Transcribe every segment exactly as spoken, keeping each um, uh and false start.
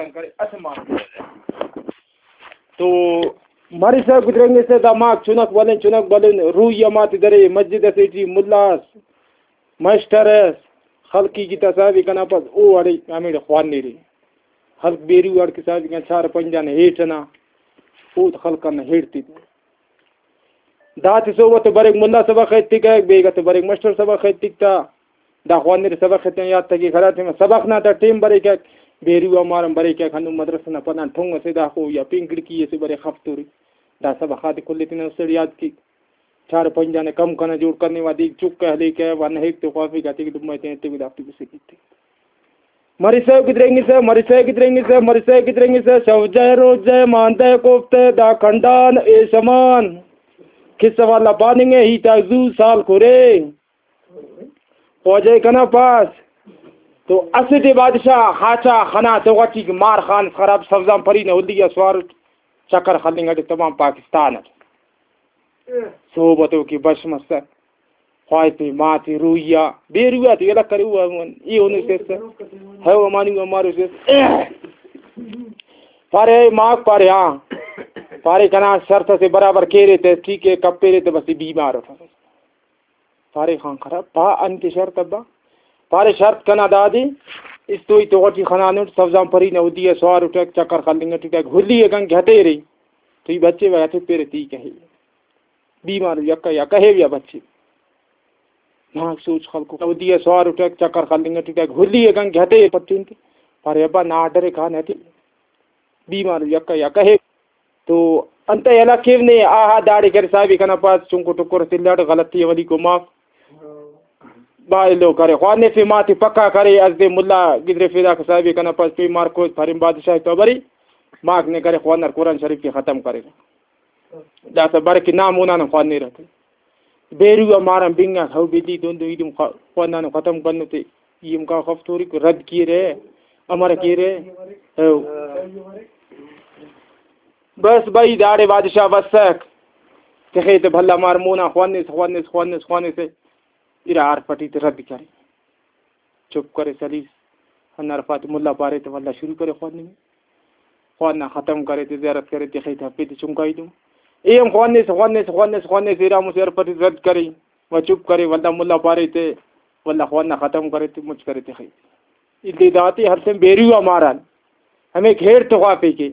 کرے، اسہ ماہ تو مرسا گدرینگسہ دا ماک چنک بلن، چنک بلن، روئی آ ماتے درے، مسجد اسے ٹی ملا اس، ماسٹر اس، خلق ای گتا صاحب کنا پاس، او اڑے ہمیڑے خوانیرے۔ خلق بیرو اڑکہ صاحب کنا چار پنجانے ہیٹ ئنا، او خلق ئنا ہیٹ تیتے۔ داتے صحب تو بریک ملا سبق ایتکہ، بیگہ تو بریک ماسٹر سبق ایتک تا۔ دا خوانر سبق ایتن یاد تکک، ہرا ٹائم سبق نا تا ٹائم بریکک، بیرو آ مارن بریکک، ہندن مدرسہ نا پدان ٹھونگ اسے داخو یا پین کھڑکی اسے بریک خفتوری۔ دا سبق آتے کل تینا استڑ یاد کیک۔ چار پنجانے کم کنا جوڑ کننگ وا دیک چک ہلیکہ وا نہیک تو خوافیکہ تیکہ لمہ تینے تیوہ دافتے بسے کیتے۔ مرسہ گدرینگسہ، مرسہ گدرینگسہ، مرسہ گدرینگسہ، شو جئے روز جئے، مان دئے کوفتہ، دا کنڈان ایشمان۔ قصہ والا پاننگ ءِ، ہیت آک زو سال کورے۔ خواجہ کنا پاس تو اسٹ ءِ بادشاہ خاچا خنا تو غٹی مار خان خراب سبزان پری نا ہلی آ سوار اٹ چکر خلنگ اٹی تمام پاکستان اٹ۔ صحب تو کہ بش مسک۔ خواہفے ماتے روئی آ، بیرو آتے یلہ کرے او، ای ہنو سیس۔ ہو امانی امارو سیس۔ پارے اے ماک، پارے ہاں۔ پارے کنا شرط اسے برابر کیرے تہ، ٹھیک ہے، کپیرے تہ بس ای بیمار اٹ۔ پارے خان خراب، پا انت شرط ابا؟ پارے شرط کنا دادے، استوئی تو غٹی خنانٹ، سبزان پری نا ہدی آ سوار اٹک، چکر خلنگ اٹک، ہلی اگن کہ ہتیرے، تو ای بچے و ہتیرے تی کہے۔ بیمار یکہ یا کہیو یا بچے۔ ماک سوچ خلکو۔ اودی ء سوار اٹک، چکر خلنگ اٹک، ہلی ء گنگ ہتے پٹین تے۔ پارے ابا نا آرڈر ء کان ہتے۔ بیمار یکہ یا کہیو۔ تو انتئے ہلاک کیو نے؟ آہا داڑے کرے صاحب کنا پاس چنکو ٹکر اس الاٹ غلطی اولی کو معاف۔ با ایلو کرے خوانفے ماتے پکا کرے، از دے ملا گدرفے داکا صاحب کنا پاس پی مارکوس پریم بادشاہ تو بری۔ ماک نے کرے خوانر قرآن شریف کے ختم کرے۔ داسہ بر کہ نا مونا نن خوانیرہ تہ۔ بیرو آ ماران بنگاک، ہو بلی دن دن ایدم خوا-، خوانانو ختم کنو تے۔ ایم کا خفتوری کو رد کیرے، امر کیرے۔ ہو۔ بس بھائی داڑے بادشاہ بسک۔ تخے تہ بھلا مار مونا خوانس، خوانس، خوانس، خوانس۔ ارا ہر پٹی تے رد کرے۔ چپ کرے سلیس۔ ہنداڑے پاتے ملا پارے تہ ولدا شروع کرے خواننگ۔ خواننا ختم کرے تہ زیارت کرے تہ خیت ہفے تہ چنکائی تم۔ اے ہم خوانس، خوانس، خوانس، خوانس، ارا مسہ ہر پٹی رد کرے۔ و چپ کرے، ولدا ملا پارے تہ ولدا خواننا ختم کرے تہ مچ کرے تہ خیت۔ ادے داتے ہر ٹائم بیرو آ ماران۔ ہمے گھیڑ تو غافے کے۔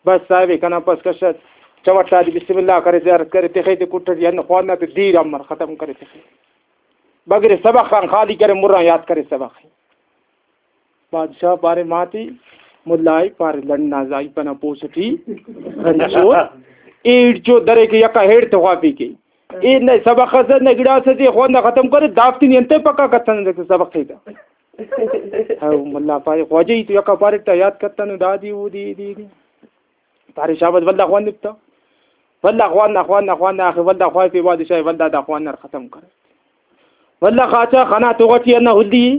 بس صاحب کنا پس کشت۔ چوٹا دی بسم اللہ کرے، زیارت کرے، تخے تے کٹڑی ہن خواننا تے دیر امر ختم کرے تخے۔ بگرے سبق خان خالی کرے، مران یاد کرے سبق۔ بادشاہ پارے ماتی ملائی پارے لنڈنا زائی پنا پوسٹی۔ ہنچو ایڑ چو درے کے یکا ہیڑ تو غافی کے۔ اے نہ سبق اس نہ گڑاس اسے خواننا ختم کرے، دافتے نی انتئے پکا کتنہ سبق تے تا۔ ہاں، ملا پارے، خواجہ ای تو یکا پارے تا یاد کتنو دادی اودی، دی، دی۔ پارے شاباس، ولدا خوانپ تا۔ ولدا خواننا، خواننا، خواننا، آخر ولدا خواہفے بادشاہ، ولدا دا خواننا ختم کرے۔ ولدا خاچا خنا تو غٹی ہندا ہلی۔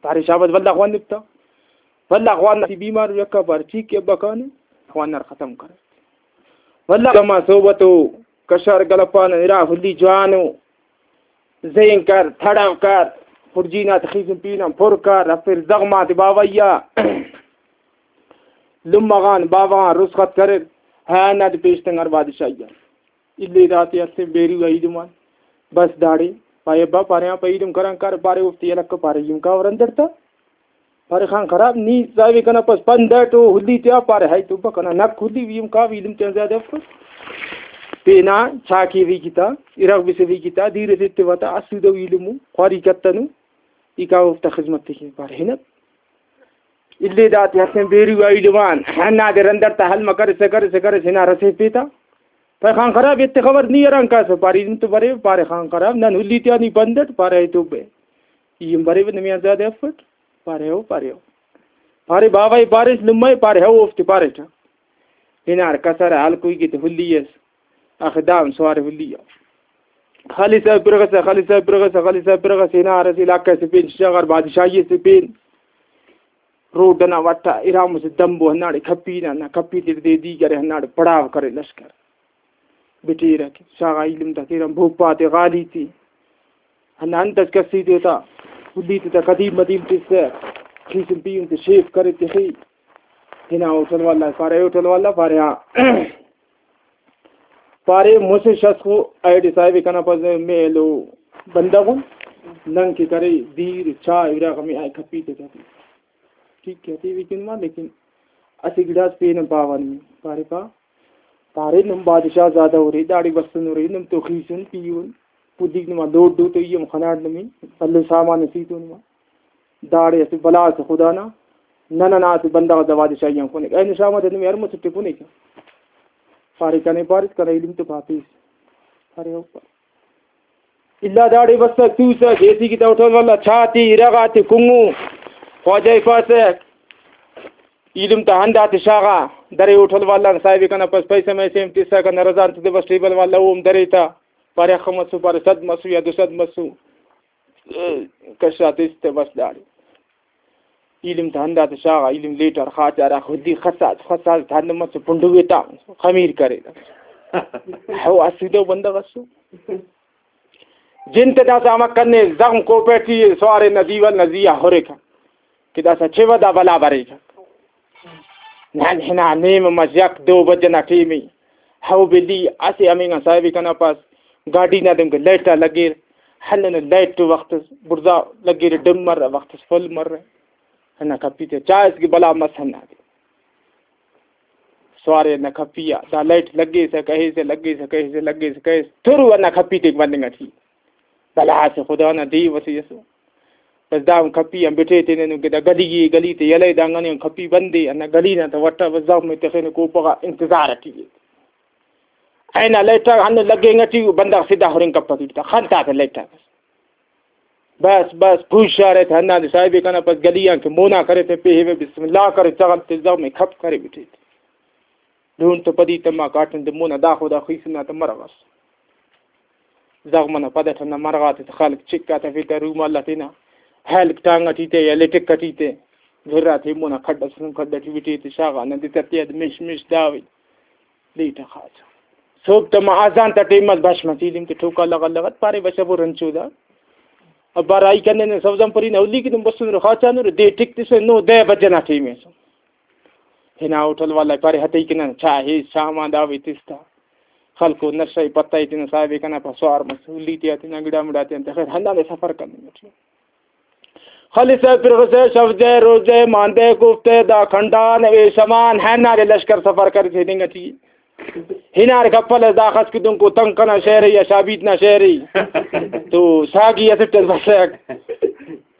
پارے شاباس، ولدا خوانپ تا۔ ولدا خواننا، ای بیمار یکا پارے، ٹھیک ہے ابا کانے، خواننا ختم کرے۔ ولدا کما صحبتو کشار گلپان ارا ہلی جوانو۔ زین کر، تھڑو کر، خرجی نا تخیسن پین آن پر کر، ہرفر زغم آتے باوہ یا۔ لمہ غان باوہ غان رسخت کریر، ہا ہندادے پیش تنگار بادشاہی آ۔ الے داتے ہرفن بیرو آ ایدم آن۔ بس داڑے پائے ابا پارے آن پہ ایدم کران کر، پارے اوفتے یلہ کر، پارے ایم کاور اندر تا۔ پارے خان خراب، نی صاحب کنا پس پند اٹ او ہلی تیا، پارے ہائے توبہ کنا نک ہلی وی ہم کاو ایلم تیان زیادہ افس۔ تینا چاکے وی کتا، ارغ بسے وی کتا، دیر اسے تیوا تا، اسودہ ایلمو، خواری کتنو، ای کاو اوفتا خذمت تیکے، پارے ہنت۔ الے داتے ہسن بیرو آ ایلمان، ہنادے رندر تا حل مہ کرسہ، کرسہ، کرسہ، ہنا رسیفے تا۔ پارے خان خراب، ایتے خبر نی اران کاسہ، پارے ایلم تو بریو، پارے خان خراب، نن ہلی تیا نی پند اٹ، پارے ہائے توبہ۔ ای ہم بریو، نمیان زیادہ افٹ۔ پارے او، پارے او۔ پارے باوہ ءِ پاریس، لمہ ءِ پارے ہو اوفتے پاریٹہ۔ ہنار کسر ءِ ہلکوئی کے تے ہلی ئس۔ آخر دا ہم سوارے ہلی آ۔ خالص صاحب پرغسہ، خالص صاحب پرغسہ، خالص صاحب پرغسہ، ہنار اسہ علاقہ سے پین، شغر بادشاہی سے پین۔ روڈ ئنا وٹ آ ارا مسہ دمبو ہنداڑے کھپی نا، ہندا کھپی تے دے دیگر ئے ہنداڑے پڑاو کرے لشکر۔ بٹیرہ کہ شاغا ایلم تا کیرہ بھوپا تے غالی تے۔ ہندا انت اس کس ہیت اوتا، ہلی تے تا قدیم مدیم تسہ۔ خیسن پیہن تے شیف کرے تخے۔ ہنا ہوٹل والا پارے، ہوٹل والا پارے، ہاں۔ پارے، مسہ شخص خو ایڈے صاحب کنا پاس میلو بندغ ان، نن کہ کرے دیر چاہ ارا غمی آئے کپی تے کپی۔ ٹھیک ہے، تیوی کن ما، لیکن اسہ گڑاس پین ہم پاوہ نی۔ پارے پا، پارے نم بادشاہ زادہ ارے، داڑے بسن ارے، نم تو خیسن پیہن، پدیک نما لوڈ دو تو ای ہم خناٹ نمی، بھلن سامان اسیتون ما۔ داڑے اسہ بلا اسہ خدا نا، نن ئنا اسہ بندغ اس دا بادشاہی آن کنیک۔ اینو شام آ تینے ہر مسٹ ٹی کنیک۔ پارے کنے پاریس کنا علم تو پاپیس۔ پارے او پا۔ الا داڑے بسک توسک، ایسی کی تا ہوٹل والا چاہ تے، ارغ آتے، کنگو۔ خواجہ ءِ پاسک، علم تا ہند آتے شاغا، درے ہوٹل والا نا صاحب کنا پاس پیسہ میسہ ہم تسکہ، نہ رضا انت دے بس ٹیبل والا اوم درے تا۔ پارے اخہ مسو، پارے صد مسو یا دو سد مسو۔ کشا تس تہ بس داڑے۔ ایلم تا ہندا تہ شاغا، ایلم لیٹر خاچا ہرا خودی خسا، خسا تا ہندن مسو پنڈوے تا خمیر کرے۔ ہو اسو دو بندغ اسو۔ جن تہ داسا امر کنے زغم کوپہ ٹی سوارے نا دیوال نا زیہا ہرکہ کہ داسا چوہ دا بلا بریکہ۔ نن ہنا نیمہ مس یک دو بجہ نا ٹیم ءِ۔ ہو بلی اسہ ہمینگان صاحب ءِ کنا پاس گاڈی نا دنکہ لائٹ آ لگیر، ہندن لائٹ وخت اس بڑزا لگیر، ڈم مرہ، وخت اس فل مرہ۔ ہندا کپی تے چائس کہ بلا مس ہندادے۔ سوارے ہندا کپی آ دا لائٹ لگیسہ کہیسہ، لگیسہ کہیسہ، لگیسہ کہیسہ، ترو ہندا کپی تے مننگ اٹی۔ بھلا اسہ خدا نا دیو اسے ئسو۔ بس داہن کپی آن بٹے تینے نن کہ دا گلی اے، گلی تے یلہ اے، دانگان آن کپی بند اے، ہندا گلی نا تہ وٹا بس زغم ءِ تخینو کوپہ غا انتظار اٹی اے۔ اینو لائٹ آک ہندن لگینگ اٹی ءُ، بندغ سدھا ہرنگ کپک ایڑ تا، خن تا تہ لائٹ آک۔ بس، بس، پوشارہ تہ ہندادے صاحب ءِ کنا پاس گلی آن کہ مونا کرے تہ پیہیوہ، بسم اللہ کرے، زغم تے زغم ءِ کھپ کرے بٹے تہ۔ ڈونڈ تہ پدی تما کاٹم تہ مونا داخو دا خیسن نا تہ مرغ اس۔ زغم ئنا پد اٹ ہندا مرغ آتے تہ خلک چک آ تفیتہ، رومال آ تینا ہلک ٹانگ اٹی تہ یا لٹک اٹی تہ، گھر آتے مونا کھڈ اس، کھڈ اٹی بٹے تہ شاغا نا دتہ تیاد مش مش داوے۔ لیٹ آ خاچا۔ صوب تما اذان تا ٹائم اس بش مس ایلم تے ٹھوکا لغت لغت پارے بشہ برو رنچو دا۔ ابا راہی کنے نے سوزان پری نا اولی کہ تم بسنرو خاچانرو دے ٹک تسہ نو دہ بجہ نا ٹائم ایسو۔ ہنا ہوٹل والا پارے ہتئی کہ نن چاہ ایس شام آن داوے تس تا۔ خلکو نشہ ءِ پتہ ءِ تینا صاحب ءِ کنا پا سوار مس اولی تیا تینا گڑا مڑا تیان تہ خیر ہندادے سفر کننگ اٹی۔ خلسہ پرغسہ شف دے روز دے مان دے کوفتہ دا کھنڈان وے شمان ہندادے لشکر سفر کریسہ ہننگ اٹی۔ ہنار کپل اس داخس کہ دنکو تنک ئنا شہر ءِ یا شابیت نا شہر ءِ تو ساگی اسٹ اس بسک۔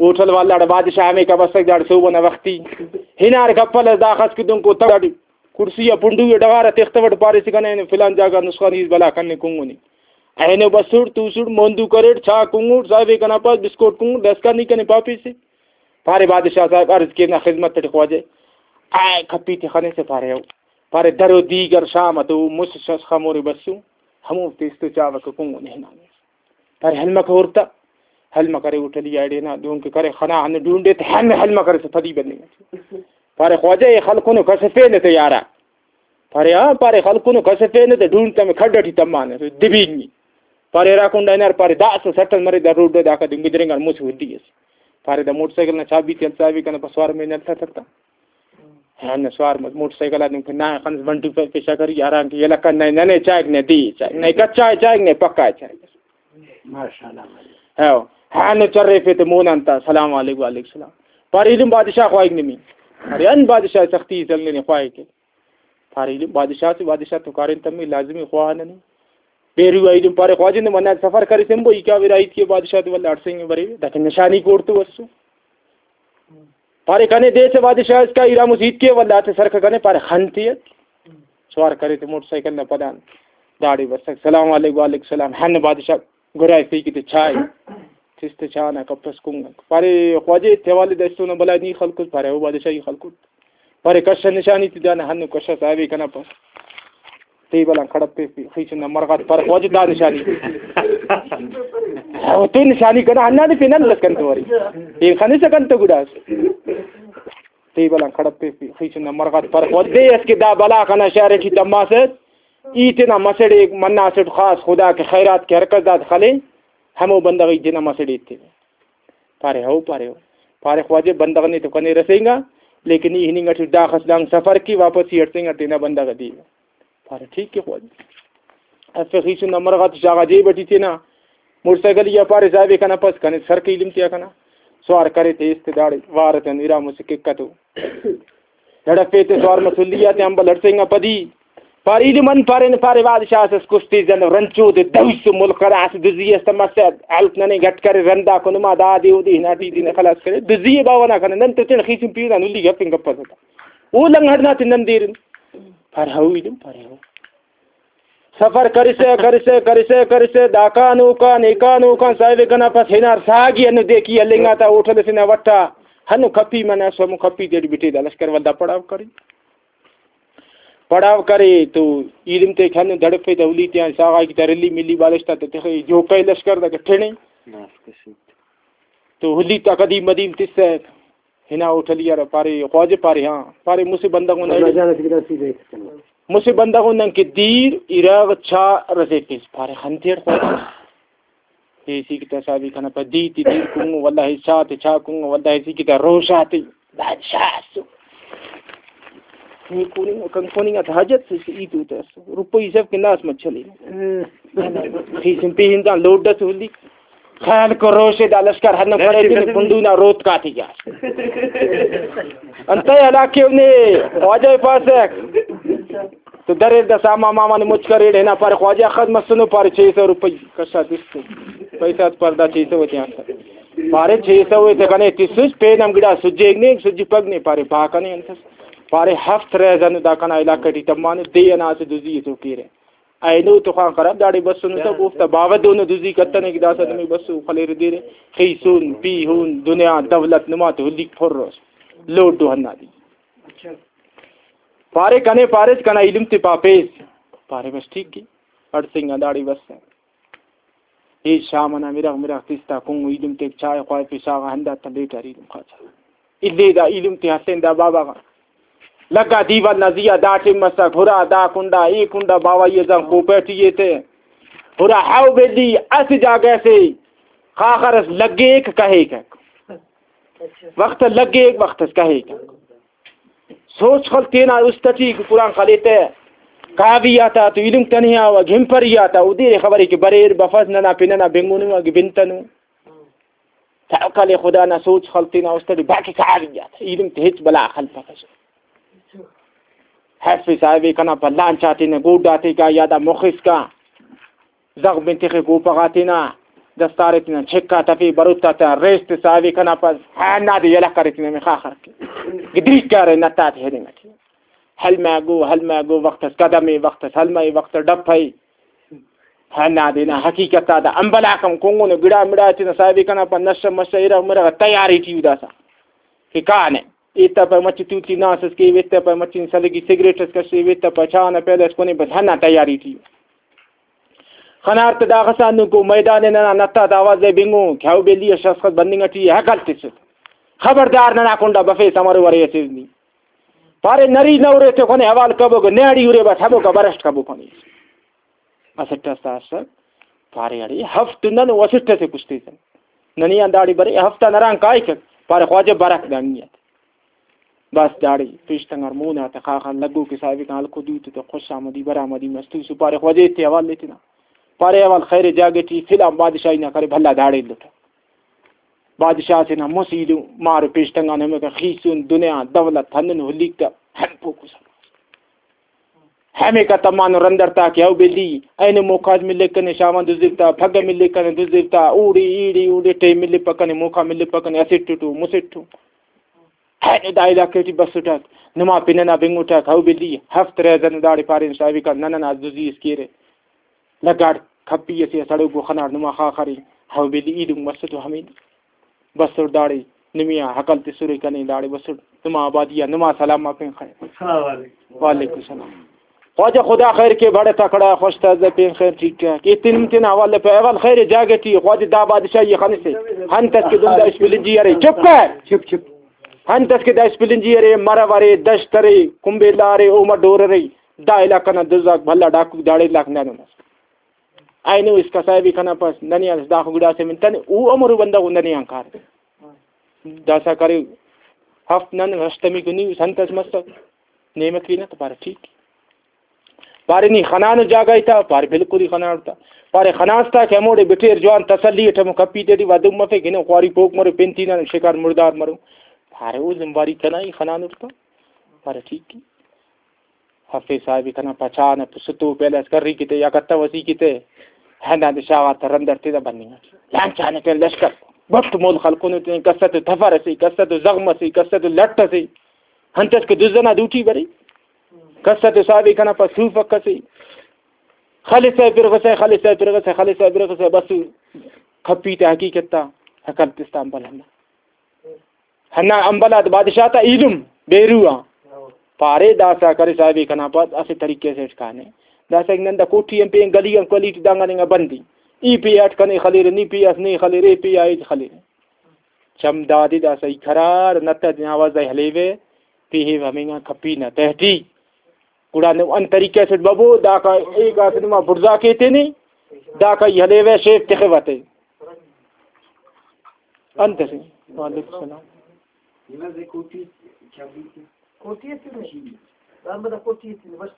ہوٹل والا داڑے بادشاہ ہمیکا بسک داڑے صوب ئنا وختی۔ ہنار کپل اس داخس کہ دنکو تنک داڑے کرسی آ پنڈو ءِ ڈغار آ تختوٹ پاریسہ کنے اینو فلان جاگہ نسخانی اس بلا کنے کنگنی۔ اینو بسوٹ توسوٹ موندو کریٹ چاہ کنگوٹ صاحب ءِ کنا پاس بسکوٹ کنگوٹ داسکان نی کنے پاپیسہ۔ پارے بادشاہ صاحب عرض کینہ خذمت اٹی خواجہ۔ آ کپی تے خنسہ پارے او۔ پارے درو دیگر شام تو مسہ شش خمورے بسو۔ ہموفتے استو چاوہ کہ کنگنی ہنانے۔ پارے ہلمکہ ہر تہ، ہلمکہ ارے ہوٹلی آ ایڑے نا دہن کہ کرے خنا ہندن ڈونڈے تہ ہمے ہلمکہ ارے تہ پدی بننگ اٹی۔ پارے خواجہ اے خلکنو کس افینہ تہ یارا۔ پارے ہاں، پارے خلکنو کس افینہ تہ ڈونڈ تہ ہمے کھڈ اٹی تمانہ دبینگی۔ پارے ہرا کنڈا ہنار پارے داسہ سٹل مرے دا روڈ داکا دن گدرینگان مسہ ہدی اس۔ پارے دا موٹر سائیکل نا چابی تے ہلسا ابھی کنا پسوار میں نلتا تھتا۔ ہاں، نہ سوار مس، موٹر سائیکل آ دن کہ نا خنس بنٹو پہ پیشہ کری، آرام کہ یلہ کن نئے ننے چائک نئے دی چائک، نئے کچا چائک نئے پکا چائک۔ ماشاءاللہ۔ ہاں، ہاں، نو چرے پہ تے مونان تا، سلام علیکم، وعلیکم السلام۔ پارے ایلم بادشاہ خواہک نمی۔ پارے ان بادشاہ سختی سلنے نے خواہک۔ پارے ایلم بادشاہ سے، بادشاہ تو کارین تمی لازمی خواہ ننے۔ بیرو ایلم پارے خواجہ نے منا سفر کرے سمبو، ای کا ویرا ایت کے بادشاہ تو ولا اڑسنگ برے، دکن نشانی کوڑ تو وسو۔ پارے کنے دے سے بادشاہ اس کا ایرا مسیت کے ولا تے سرکہ کنے پارے خن تیت۔ سوار کرے تے موٹر سائیکل نا پدان داڑے بسک۔ سلام علیکم، وعلیکم السلام۔ ہن بادشاہ گرائے پی کتے چائے۔ تس تے چاہ نا کپس کنگک۔ پارے خواجہ تے والد استو نا بلائے نی خلکت؟ پارے او بادشاہ ای خلکت۔ پارے کشہ نشانی تے دانا ہنو کشہ صاحبے کنا پاس۔ ٹیبل آن کڑپے پی، خیچن نا مرغات پارے خواجہ دا نشانی۔ او تو نشانی کنا ہندا دے پین انت کنتو ارے۔ پین خنسہ کنتو گڑاس۔ ٹیبل آن کڑپے پی، خیچن نا مرغات پارے خواجہ دے اس کہ دا بلا کنا شہر ٹی تماسہ۔ ای تینا مسڑے منا اسٹ خاص خدا کہ خیرات کہ ہر کس داد خلے، ہمو بندغ ای تینا مسڑے ایتیوہ۔ پارے ہو، پارے ہو۔ پارے خواجہ بندغ نے تو کنے رسینگا، لیکن ای ہننگ اٹی ڈاخ اس دانگ سفر کے واپس ای ہڑسینگا تینا بندغ ءِ دے۔ پارے ٹھیک ءِ خواجہ۔ اسہ خیسن نا مرغ آتے شاغا جیب اٹی تینا موٹر سائیکل یا پارے صاحب ءِ کنا پس کنے سر کے ایلم تیا کنا سوار کرے تے ایست داڑے وار اتن ارا مسہ کک اتو۔ دڑفے تے سوار مسلی آتے امبل ہڑسینگا پدی۔ پارے ایلم ان پارے نہ پارے بادشاہ اس کشتے زن رنچو دے دوسو ملک کرا اس دزی اس تمسہ ہلک ننے گٹ کرے رندا کنما دا دے او دے ہنا ٹی دے خلاص کرے دزی باوہ نا کنا نن تو تینا خیسن پیران ہلی گپن گپس۔ او لنگڑ نا تے نن دیرن۔ پارے ہو ایلم پارے ہو۔ سفر کرسہ، کرسہ، کرسہ، کرسہ، داکان اوکان، ایکان اوکان، صاحب کنا پس ہنار ساگی ہنو دیکی ہلنگا تا ہوٹل سے نا وٹا۔ ہنو کپی منا سمو کپی تیٹ بٹے دا لشکر ولدا پڑاو کرے۔ پڑاو کرے تو ایلم تیک ہنو دڑفے تا ہلی تیان ساغا کی تا رلی ملی بالشتا تا تخے جوکے لشکر دا کٹھنے۔ تو ہلی تا قدیم مدیم تسہ۔ ہنا ہوٹلی آ پارے، خواجہ پارے، ہاں۔ پارے، مسہ بندغ اُن اللہ ایڑے۔ جان اسہ گڑا سیدھے ایتس کنے۔ مسہ بندغ اُن نن کہ دیر، ارغ، چا رسیفس۔ پارے، خن تیڑ خواجہ۔ ایسی کتا صاحبی کنا پا دی تے دیر کنگو، واللہ چا تے چا کنگو، واللہ ایسی کتا روشا تے۔ بادشاہ اسو۔ نی کوننگ، کن کوننگ آتا حاجت سے، ای تو تس۔ روپئی سب کے ناس مچلے۔ خیسن پیہن دان لوڈ اس ہولی۔ خیال کروشے دا لشکر ہندن کڑے تینے کنڈو نا روت کاتے گیا۔ انتئے ہلاکے نے خواجہ پاسک۔ تو دریر دا ساما ماما نے مچ کریڑ ہنا پارے خواجہ اخس مسنو پارے چھ سو روپئی کشا تس تو۔ پیسہ ات پر دا چھ سو تے آنسا۔ پارے چھ سو تے کنے تسس پین ہم گڑا سجیگ نے سجی پگ نے پارے با کنے انتس۔ پارے ہفت ریزن دا کنا علاقہ ٹی تمانو دے انا اسہ دزی تو کیرے۔ اینو تو خوان خراب داڑے بسنو تہ اوفتا باوہ دونو دزی کتنے کہ داسہ نمے بسو خلیرہ دیرہ۔ خیسن، پیہن، دنیا، دولت نما تو ہلیک پھر اس۔ لوڈو ہندا دی۔ پارے کنے پاریس کنا ایلم تے پاپیس۔ پارے بس ٹھیک ءِ۔ اڑسینگا داڑے بس۔ اے شام ئنا مرغ مرغ تس تا کنگو ایلم تیک چائے خوائفے شاغا ہندا تا لیٹ آ ایلم خاچا۔ اِلے دا ایلم تے ہسین دا بابا غا۔ لگا دیوال نا زیہا دا ٹائم مسک، ہرا دا کنڈا، اے کنڈا باوہ ای زان کوپہ ٹی ای تے۔ ہرا ہاو بیلی اسہ جاگہ سے خاخر اس لگیک کہیک۔ وخت لگیک، وخت اس کہیک۔ سوچ خل تینا است ٹی قرآن خلیتہ۔ کاوی آتا تو ایلم تنیا و گھنپری آتا، او دیر خبرے کہ بریر بفس ننا پن ئنا بنگنو اگہ بنتنو۔ توکل خدا نا سوچ خل تینا است ٹی باقی کاوی آتا ایلم تے ہچ بلا خلپکہ۔ حیف صاحب کنا پہ لانچ آتے نا گوڈ آتے کا یا دا مخ اسکا۔ زغم تخے کوپہ غا تینا دستارے تینا چھکا تفے بروتا تا ریسٹ صاحب کنا پس ہندا دے یلہ کرے تینا مخا خر کے۔ گدریک کرے نتا تے ہدنگ ٹی۔ ہلمہ گو، ہلمہ گو، وخت اس قدم ءِ، وخت اس ہلمہ ءِ، وخت اس ڈپھ ءِ۔ ہندا دے نا حقیقت آ دا امبلاک ہم کنگنو گڑا مڑا تینا صاحب کنا پا نشہ مشہ ارغ مرغ تیاری ٹی اوداسا کہ کانے۔ ایتا پا مچہ توتی ناس اس کیو، ایتا پا مچہ سلگی سگریٹ اس کشیو، ایتا پا چاہ نا پیالہ اس کنے، بس ہندا تیاری ٹی۔ خنار تہ داخس آ ہندن کو میدان ءِ ننا نتا تا آواز ءِ بنگو کہ ہاو بیلی اس شخص خس بننگ ٹی ءِ، ہکل تسٹ۔ خبردار ننا کنڈا بفیس امر ورے اسیس نی۔ پارے نری نہ ارے تو کنے حوال کبو کہ نیاڑی ارے بس ہموکا برشت کبو کنے۔ اسٹ اس تا اسٹ پارے اڑے ہفت نن و اسٹ اسے کشتے سن۔ ننے آن داڑے برے ہفت آن اران کائک پارے خواجہ برک دا نیت۔ بس داڑے پیشتنگار مون آتا خاخا لگو کہ صاحب کان ہلکو دوتے تو خوش آمدی برآمدی مستو سپارے خواجہ تے حوال لیتنا۔ پارے حوال خیر جاگہ ٹی فلان بادشاہی نا کرے بھلا داڑے لٹا۔ بادشاہ سے نا مس ایلو مار پیشتنگان ہمے کا خیسون دنیا دولت ہندن ہلیک تا ہم پوکو سر۔ ہمے کا تمانو رندر تا کہ او بیلی اینو موکاز ملک کنے شاوان دزرتا، پھگہ ملک کنے دزرتا، اوڑے ایڑے اوڑے ٹیم ملک پکنے موکا ملک پکنے اسٹ ٹو مسٹ ٹو۔ اینو دا علاقہ ٹی بسٹک، نما پن ئنا بنگٹک، ہو بیلی ہفت ریزن داڑے پارین صاحب کان نن ئنا دزی اس کیرہ۔ لگاڑ کھپی اسے سڑوکو خناٹ نما خاخرے، ہو بیلی ایلم مسٹو ہمین۔ بسٹ داڑے نمیا ہکل تسرے کنے داڑے بسٹ نما آبادی آ نما سلام آ پین خیر۔ السلام علیکم۔ وعلیکم السلام۔ خواجہ خدا خیر کے بڑے تکڑا خوش تازہ پین خیر ٹھیک ٹھاک۔ ایتن تین حوالے پہ احوال خیر جاگہ ٹی خواجہ دا بادشاہی خنسے۔ ہنت اس کہ دندا اسپلنجی ارے۔ چپ کر۔ چپ چپ۔ ہنت اس کہ دا اسپلنجی ارے، مرو ارے، دشت ارے، کمبیلا ارے، اوما ڈور ارے، دا علاقہ نا دزاک بھلا ڈاکو داڑے علاقہ نا دنس۔ اینو اسکا صاحب کنا پاس ننے آن داخو گڑاسے من تنے او امرو بندغ ننے آن کار۔ داسا کرے، ہفت نن ہشتمی کنی سنت اس مسک، نیمہ کینہ تو پارے ٹھیک۔ پارے نی خنانو جاگہ ای تا؟ پارے بالکل ای خنانو تا۔ پارے خناس تا کہ ہموڑے بٹیر جوان تسلی اٹ ہمو کپی تیٹی ودن مفے کہ نن خواری پوک مرو، پن تینا شکار مردار مرو۔ پارے او ذمہ واری کنا ای خنانو تا۔ پارے ٹھیک ای۔ ہفے صاحب کنا پچا نا ستو پیلہ اس کری کتے یا کتو اسی کتے۔ ہندا دے شاغا تا رندر تینا بننگ اٹ۔ لانچانے پین لشکر۔ بٹ مول خلکونو تین کسہ تو تفر اسی، کسہ تو زغم اسی، کسہ تو لٹ اسی۔ ہنتس کہ دزنا دوٹی بری۔ کسہ تو صاحب کنا پا سوفک اسی۔ خلسہ پرغسہ، خلسہ پرغسہ، خلسہ پرغسہ، بس کھپی تے حقیقت تا عقل تستان بل ہندا۔ ہندا امبل آ بادشاہ تا ایلم بیرو آ۔ پارے داسا کرے صاحب کنا پاس اسہ طریقے سے اٹ کانے۔ داسا نن دا کوٹھی ہم پین گلی ہم کلی ٹی دانگان انگا بندی۔ ای پی اٹ کنے خلیرے، نی پی اس نے خلیرے، ای پی آ ہچ خلیرے۔ چم دادے داسا ای قرار نت آ آواز آ ہلیوے، پیہیو ہمینگا کپی نا تہٹی۔ گڑا نو ان طریقے سے ببو، داکا ایک آس نما بڑزا کے تینے، داکا ای ہلیوے شیف تخے واتے۔ انت سے۔ وعلیکم السلام۔ کوٹی اسے نے۔ دام بدا کوٹی اسے نے، بس۔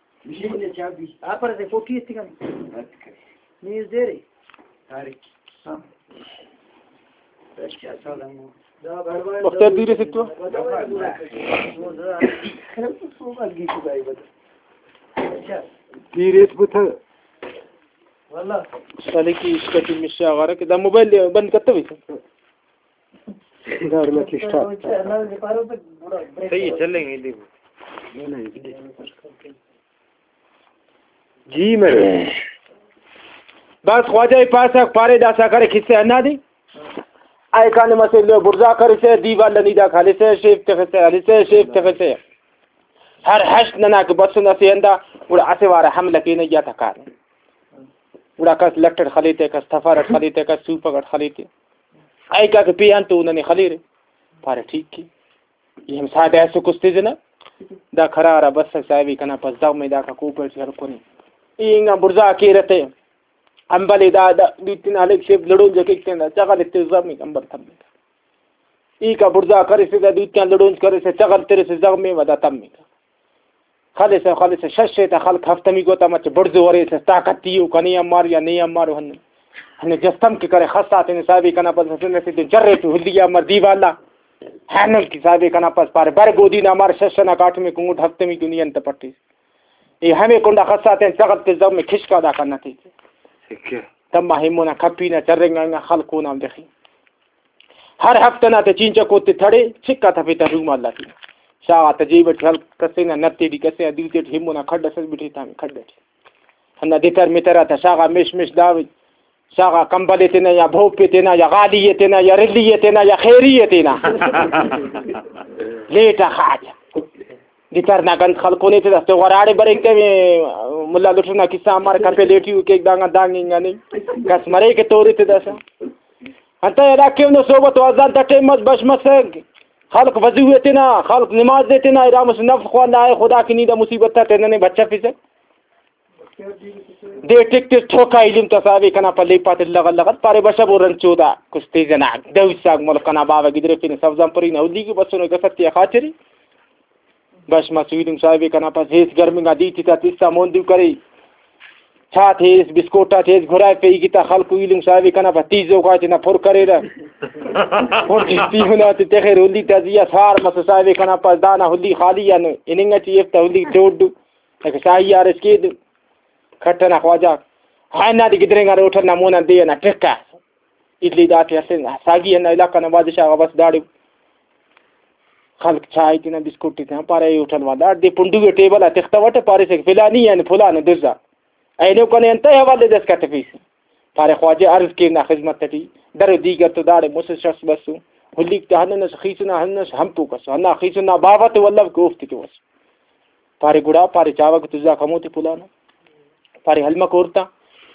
آ پر اسے کوٹی اسے کن۔ نیز دے رے۔ ہاں۔ وخت دیر اسے تو۔ دیر اس بتا۔ سالے کی اس کا مسا غارہ کہ دا موبائل بند کرتا بھی۔ داڑے نا کسٹا۔ صحیح ہے، چلیں گے، دیکھو۔ جی میں۔ بس خواجہ ای پاسہ پارے داسا کرے کسہ ہندا دی۔ اے کان مسے لو بڑزا کرسے، دیوال نی دا کھلسے، شیف تخسے، ہلسے، شیف تخسے۔ ہر ہشت ننا کہ بسن اسے ہندا، گڑا اسہ وارا حملہ کینہ یا تکانے۔ گڑا کس لٹ اٹ خلیتے، کس تفر اٹ خلیتے، کس سوپک اٹ خلیتے۔ ایکا کہ پیان تو ننے خلیرے۔ پارے ٹھیک کے۔ ای ہم ساڈ ایسو کستے جنا۔ دا قرار آ بسک صاحبی کنا پس دغمے داکا کوپہ ٹی ہلکنے۔ ای انگا بڑزا کیرہ تے۔ امبل ای دا، دا دوتین ہلیک شیف لڑون جا کیک تین دا چغل ایتے زغمے امبل تمک۔ ای کا بڑزا کریسے دا دوتین لڑون کریسے چغل تریسے زغمے و دا تمک۔ خلسہ، خلسہ، شش تا خلق ہفتمی گوتا مچ بڑزو ارے، طاقت تیو کنے امار یا نے امار ہن۔ ہن جستم کہ کرے خسا تینے صاحبی کنا پس ہسن اسے تو جرے تو ہلی امار دیوالا۔ ہنن کہ صاحبی کنا پس پارے بر گودی نا امار شش نا کاٹمے کنگٹ ہفتمی دنیا انت پٹیس۔ ای ہمے کنڈا خسا تین چغل تے زغمے کھشکا دا کنا تے۔ تما ہمونا کپی نا چرنگا انگا خلق اونا دخی۔ ہر ہفتہ نا تے چینچکو تے تھڑے، چکا تفے تا رومال آتے۔ شاغا تا جیب اٹ ہلک کسے نا نتے ٹی کسے نا دوتے ٹی ہمونا کھڈ اسس بٹے تا کھڈ اٹی۔ ہندا دتر متر آتا شاغا مش مش داوے۔ شاغا کمبل تے نا یا بھوپ تے نا یا غالی تے نا یا رلی تے نا یا خیری تے نا۔ لیٹا خاجہ۔ دتر نا گند خلکونے تے داستے غراڑے بریک تے ملا لٹنا کسہ امر کپے لیٹی کیک دانگا دانگ انگا نہیں۔ کس مرے کہ توری تے داسا۔ انتئے ہرا کہ اونا صحبت و اذان تا ٹائم مس بش مسک، خلق وضو ءِ تینا، خلق نماز ءِ تینا، ارا مسہ نفل خواندا اے خدا کہ نی دا مصیبت تا تینا نے بچفسہ۔ دے ٹک تس ٹھوکا ایلم تا صاحب کنا پلیپا تے لغ لغ پارے بشہ بو رنچو دا کس تیز ئنا دو حصہ ملک ئنا باوہ گدریفینے سبزان پرینہ ہلی کہ بسنو گستے آ خاچری۔ بش مسویدنگ صاحب کنا پس ہیس گرمنگا دیتی تا تسا مون دو کرے۔ چاتے ہیس، بسکوٹ آتے ہیس، گھرائے پہ ایگی تا خلکو ایلم صاحب کنا پس تیزوکا تینا پر کریرہ۔ پر تیونا تے تخیر ہلی تا زیا سار مسو صاحب کنا پس دانا ہلی خالی آن ہننگ اٹی ایف تا ہلی ڈوڈ دو۔ اگہ شاہی آر اس کے دو۔ کھٹنا خواجہ۔ ہائنا دی گدرینگا ہوٹل نا مونا دے ئنا ٹکا۔ اڈلی داٹی ہرفنگ ساگی ہندا علاقہ نا بادشاہ غا بس داڑے خلک چائے تینا بسکٹ تینا پارے اے ہوٹل والا دے پنڈو ءِ ٹیبل آ تختوٹہ پاریسہ کہ فلانی یعنی فلانے دزا اینو کنے انتئے حوالے دس کتفیس۔ پارے خواجہ عرض کین نا خذمت ٹی درو دیگر تو داڑے مسہ شخص بسو ہلیک تا ہننس خیسنا ہننس ہمپو کسو ہندا خیسنا باوہ تو ولو کہ اوفتے تو بسو۔ پارے گڑا پارے چاوہ کہ تزا کمو تے پلانا۔ پارے ہلمک ہورتا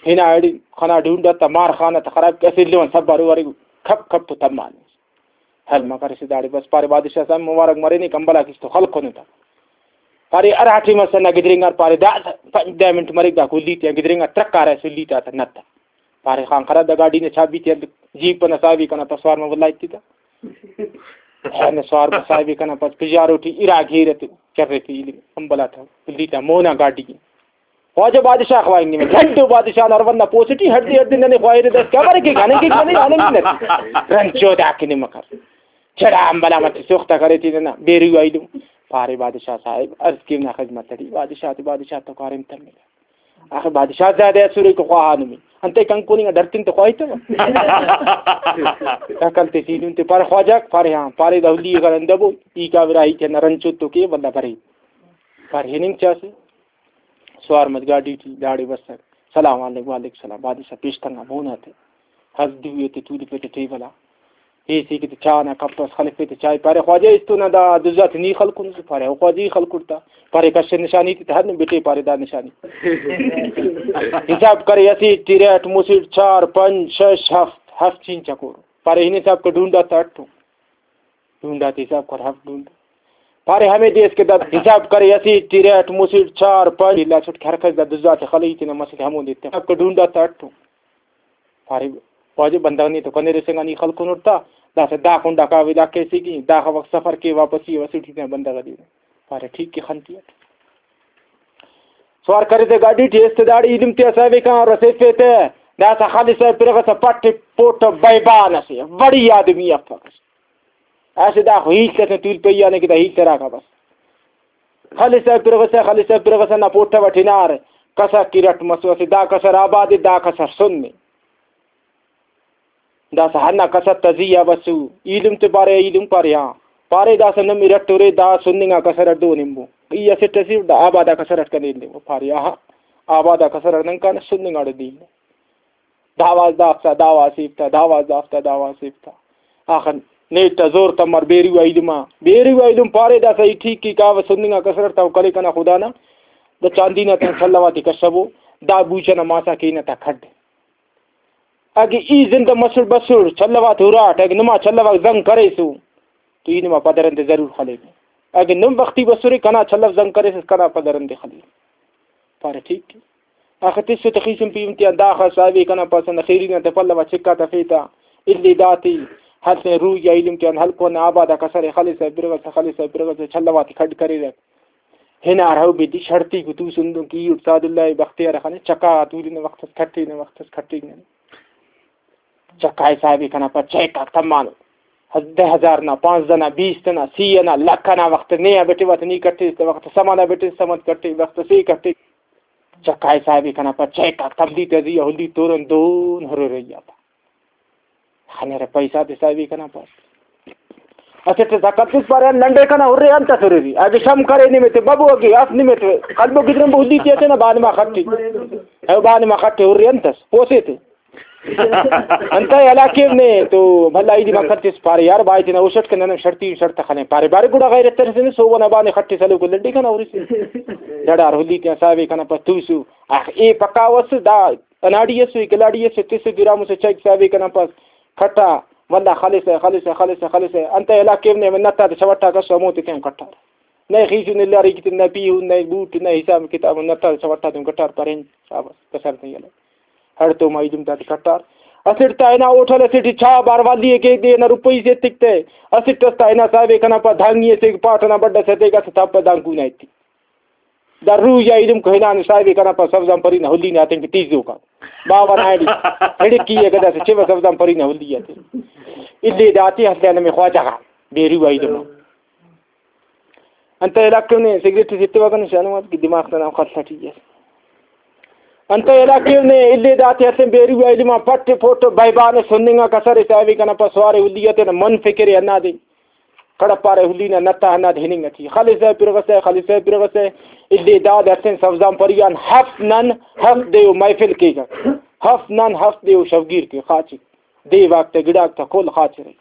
ہنا ایڑی خنا ڈھونڈا تا مار خانہ تا خراب کہ اسہ ایلو آن سبارو ارے کھپ کھپ تو تمانے۔ ہلمک ارسے داڑے بس پارے بادشاہ صاحب مبارک مرینے کمبل آ کس تو خلکنے تا۔ پارے ہرا ٹائم اس نا گدرینگار پارے دا پنچ دہ منٹ مریک دا کلی تیا گدرینگار ترکارہ سلی تا تا نت۔ پارے خان خراب دا گاڈی نے چابی تیا جیپ نا صاحبی کنا تسوار ما ولا ایتی تا۔ اینو سوار بس صاحب کنا پاس پژارو ٹی ارا گھیر تے چرے تے ایلم امبل آتا، پلی تا مونا گاڈی۔ خواجہ بادشاہ خواہنگ نمے، لڈ و بادشاہ نا ارون نا پوسٹی ہڑدے ہڑدے ننے خواہرے دس کبر کے کنے کے کنے آنے منت۔ رنچو دا کنے مکر۔ چڑا امبلا مچ سوختا کرے تے ننا بیرو ایلم۔ پارے بادشاہ صاحب، عرض کیونا خدمت اٹی، بادشاہ تے بادشاہ تو کاریم تمے۔ آخر بادشاہ زیادہ اسرے کہ خواہانمی۔ انتئے کنکونی آ ڈرتن تو خواہی تو۔ عقل تے سیدھن تے پارے خواجہ، پارے ہاں، پارے دا ہلی غرندہ بو، ای کا برا ای کہ نرن چوتو کے بندہ برے۔ پارے ہننگ چاسے۔ سوار مت گاڈی ٹی داڑے بسر۔ سلام علیکم، وعلیکم السلام۔ بادشاہ پیش تنگا مونا تے۔ ہر دوئے تے تولفے تے ٹیبل آ۔ ایسے کہ تے چاہ نا کپ اس خلفے تے چائے۔ پارے خواجہ استو نا دا دزا تے نی خلکن؟ پارے او خواجہ ای خلکر تا۔ پارے کس نشانی تے ہر نم بٹے پارے دا نشانی۔ حساب کرے اسیٹ ٹی ریٹ مسیٹ چار پنچ شش ہفت، ہفت چین چکور۔ پارے ہن حساب کہ ڈونڈا تا اٹو۔ ڈونڈا تے حساب کر ہفت ڈونڈا۔ پارے ہمے دے اس کہ دا حساب کرے اسیٹ ٹی ریٹ مسیٹ چار پنچ لاسٹ کہ ہر کس دا دزا تے خلئی تینا مسیٹ ہمو دے تے۔ حساب کہ ڈونڈا تا اٹو۔ پارے واجہ بندغ نے تو کنے رسینگا نی خلکن ہرتا، داسہ دا کنڈا کاوے دا کیسے کہ داخہ وخت سفر کے واپسی وسیٹ تینا بندغ دے۔ پارے ٹھیک کہ خنتی اٹ۔ سوار کرے تے گاڈی ٹی ایست داڑے ایلم تے اسہ وے کان رسیفے تے، داسہ خالص پرغسہ پٹ پوٹ بیبان اسے، وڑی آدمی افک۔ اسہ داخہ ہیت اسے تول پی آنے کہ دا ہیت تراکا بس۔ خلسہ پرغسہ، خلسہ پرغسہ نا پوٹہ وٹ ہنار، کسر کہ رٹ مسو، اسہ دا کسر آباد ءِ، دا کسر سن ءِ۔ داسہ ہندا کسر تا زی آ بسو، ایلم تے پارے، ایلم پارے ہاں۔ پارے داسہ نمے رٹ ہرے، دا سن انگا کسر اٹ دو نمبو۔ ای اسٹ اسیٹ دا آباد آ کسر اٹ کنے ایلم۔ پارے آہا، آباد آ کسر اٹ نن کانہ سن انگاڑے دے ایلم۔ داواز دافتا، داواز سیفتا، داواز دافتا، داواز سیفتا۔ آخر نیٹ تا زور تمر بیرو آ ایلم آ۔ بیرو آ ایلم پارے داسہ ای ٹھیک کہ کاوہ سن انگا کسر اٹ تا کلے کنا خدا نا۔ دا چاندی نا تینا چلوا تے کشبو۔ دا بوچہ نا ماسا کینہ تا کھڈ۔ اگہ ای زندہ مسڑ بسڑ، چلوا تے ہراٹ، اگہ نما چلوا زنگ کریسو تو ای نما پدرندے ضرور خلینے۔ اگہ نم وختی بسرے کنا چلو زنگ کریسس کنا پدرندے خلینے۔ پارے ٹھیک ءِ۔ آخہ تسہ تخیسن پیہن تیان داخہ صاحبے کنا پاسہ نا خیری نا تہ پلو آ چکا تفیتہ۔ الی داتے ہلسن روئی آ ایلم تیان ہلکو نا آباد آ کسرے خلسہ برغسہ خلسہ برغسہ چلواتے کھڈ کریرہ۔ ہنار ہو بیدی شڑتی کو توسن دن کہ ای اٹ سعد اللہ بختیار خانے چکا آ تولنہ وخت اس کھٹینہ وخت اس کھٹینہ۔ چکائے صاحبے کنا پد چیک آک تمانو۔ دہ ہزار نا، پانزدہ نا، بیست نا، سی ئنا، لکھ ئنا وخت نے آ بٹیوہ تہ نی کٹیس تہ وخت سم ئنا بٹیس، سم ئٹ کٹے وخت سے کٹے۔ چکائے صاحبے کنا پد چیک آک تمدی تہ زی آ ہلی تورن دون ہرورئی آ پا۔ خنرہ پیسہ تے صاحبے کنا پد۔ اسٹ اس عقل تس پارے لنڈے کنا ہرے انت اس ہرری۔ اگہ شم کرے نمے تے ببو اگہ اف نمے تے قلبو گدرن بو ہلی تے اتنا بانما خٹی۔ او بانما خٹے ہرے انت اس پوسے تے۔ انتئے ہلاکیو نے تو بھلا ایدے مکھن تس پارے یار بھائی تینا ہوش اٹ کن نن شڑتی شڑت خلین پارے بارے گڑا غیرت ترسنے سو ونا بانے خٹے سلو کو لڈی کنا اوریس ڈڑار ہلی تینا صاحبے کنا پس توسو۔ آخ اے پکا وس دا اناڑی اسو اے کلاڑی اسو تس گرام اسو چیک صاحبے کنا پس کھٹا ولا خلسہ خلسہ خلسہ خلسہ انتئے ہلاکیو نے نتا تے چوٹا کسو ہمو تے تین کٹار۔ نئے خیسن الاری کتن نئے پیہن نئے بوٹ نئے حساب کتاب نتا تے چوٹا تین کٹار پرین شاباس کسر تین یلہ۔ ہڑتوم آ ایلم تاتے کٹار۔ اسٹ تا ہنا ہوٹل اسیٹی چاہ باروالی ءِ کیک دے ہنا روپئی سے ایتک تہ۔ اسٹ اس تا ہنا صاحب ءِ کنا پا دھانگی اسے پاٹ ئنا بڈ ئس ایتک اسہ تاپہ دانکو نا ایتک۔ دا روح یا ایلم کو ہنان صاحب ءِ کنا پا سبزان پری نا ہلی نا تینکہ تیزوکا۔ باوہ نا ایڑی۔ ہڑکی ءِ گداسے چیوہ سبزان پری نا ہلی آتے۔ الی داتے ہستے نمے خواجہ غا۔ بیرو آ ایلم۔ انتئے ہلاکیو نے سگریٹ اس ایتوہ کنے شاہنواز کہ دماغ تا نام خلہ ٹی اس۔ انتئے ہلاکیو نے الی داتے ہسن بیرو آ ایلم آ پٹ پوٹ بیبان اس ہننگا کسر اس ایوے کنا پا سوارے ہلی آ تینا من فکر ءِ ہندادے کڑپارے ہلی نا نتا ہندادے ہننگ اٹی۔ خلسہ پرغسہ، خلسہ پرغسہ، الی داد ہسن سبزان پری آن ہفت نن ہفت دے و محفل کیک۔ ہفت نن ہفت دے و شوگیر کے خاچک۔ دے واک تا گڑاک تا کل خاچرے۔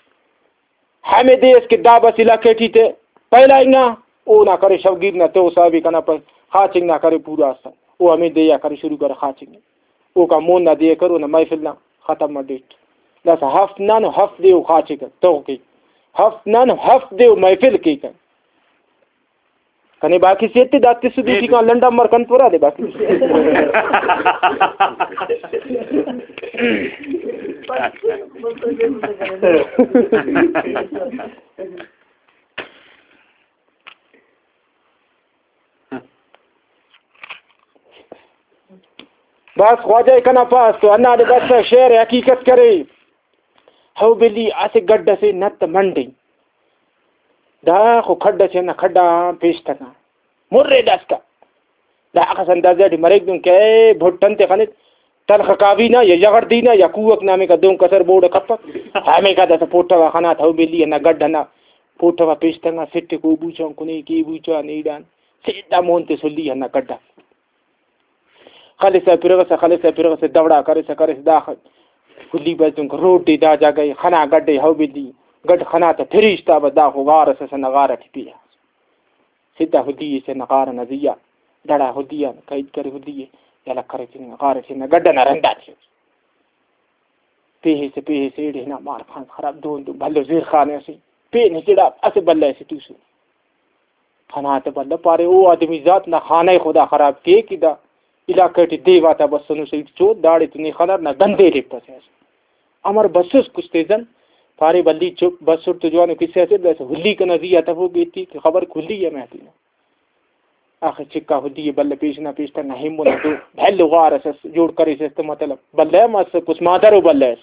ہمے دے اس کہ دا بس علاقہ ٹی تے پہلا انگا اونا کرے شوگیر نا تو صاحب کنا پس خاچنگ نا کرے پورا اسا۔ او ہمے دے آ کرے شروع کرے خاچنگ۔ اوکا مون نا دے کرے اونا محفل نا ختم مڈیٹ۔ داسا ہفت نن ہفت دے او خاچک تو کے۔ ہفت نن ہفت دے او محفل کے کن۔ کنے باقی سے تے دا تس دوٹی کان لنڈا مر کنت ورا دے باقی۔ بس خواجہ ءِ کنا پاس تو ہندادے بس شعر حقیقت کرے۔ ہو بلی اسہ گڈ اسے نت منڈی۔ دا خو کھڈ اسے ہندا کھڈ آن پیش تکا۔ مرے داسکا۔ دا اخس اندازہ ٹی مریک دن کہ اے بھٹ انتے خنت، تلخ کاوی نا یا یغڑ دی نا یا کوک نا ہمیکا دون کسر بوڑ کپک۔ ہمیکا داسہ پوٹوا خنات ہو بلی ہندا گڈ ہندا پوٹوا پیش تنگا سٹ کو بوچان کنے کے بوچان ایڑان۔ سیدھا مون تے سلی ہندا گڈا۔ خلسہ پرغسہ، خلسہ پرغسہ، دورا کرسہ، کرسہ داخہ۔ کلی بس دنکہ روڈ دے دا جاگہ ئے خنا گڈ ئے ہو بلی۔ گڈ خنا تہ پھریش تا بس داخو غار ئس ئس ہندا غار ئٹی پیا۔ سدھا ہلی ئے سے ہندا غار ئنا زیہا۔ دڑا ہلی آن قید کرے ہلی ئے۔ یلہ کرے تینا غار ئے سے ہندا گڈ ئنا رندا تے۔ پیہیسہ، پیہیسہ ایڑے ہنا مار خان خراب دون دون بھلو زیر خانے ئسے۔ پین ہچڑا اسہ بلہ ئسے توسن۔ خنا تہ بلہ پارے، او آدمی ذات نا خانہ خدا خراب کے کہ دا علاقہ ٹی دیو آتا بسنو سیٹ چو، داڑے تو نے خنار نا گندے ریپسہ۔ امر بسس کچھ تیزن؟ پارے بلی چپ بسر تو جوانو کسہ اسے، بس ہلی کنا زی آ تفو بیتی کہ خبر کھلی ہے میں تینا۔ آخر چکا ہلی بلہ پیش نا پیش تنا ہمو نا دو بھلو غار اس جوڑ کریسس تو مطلب بلہ ہم اس کس مادر و بلہ اس۔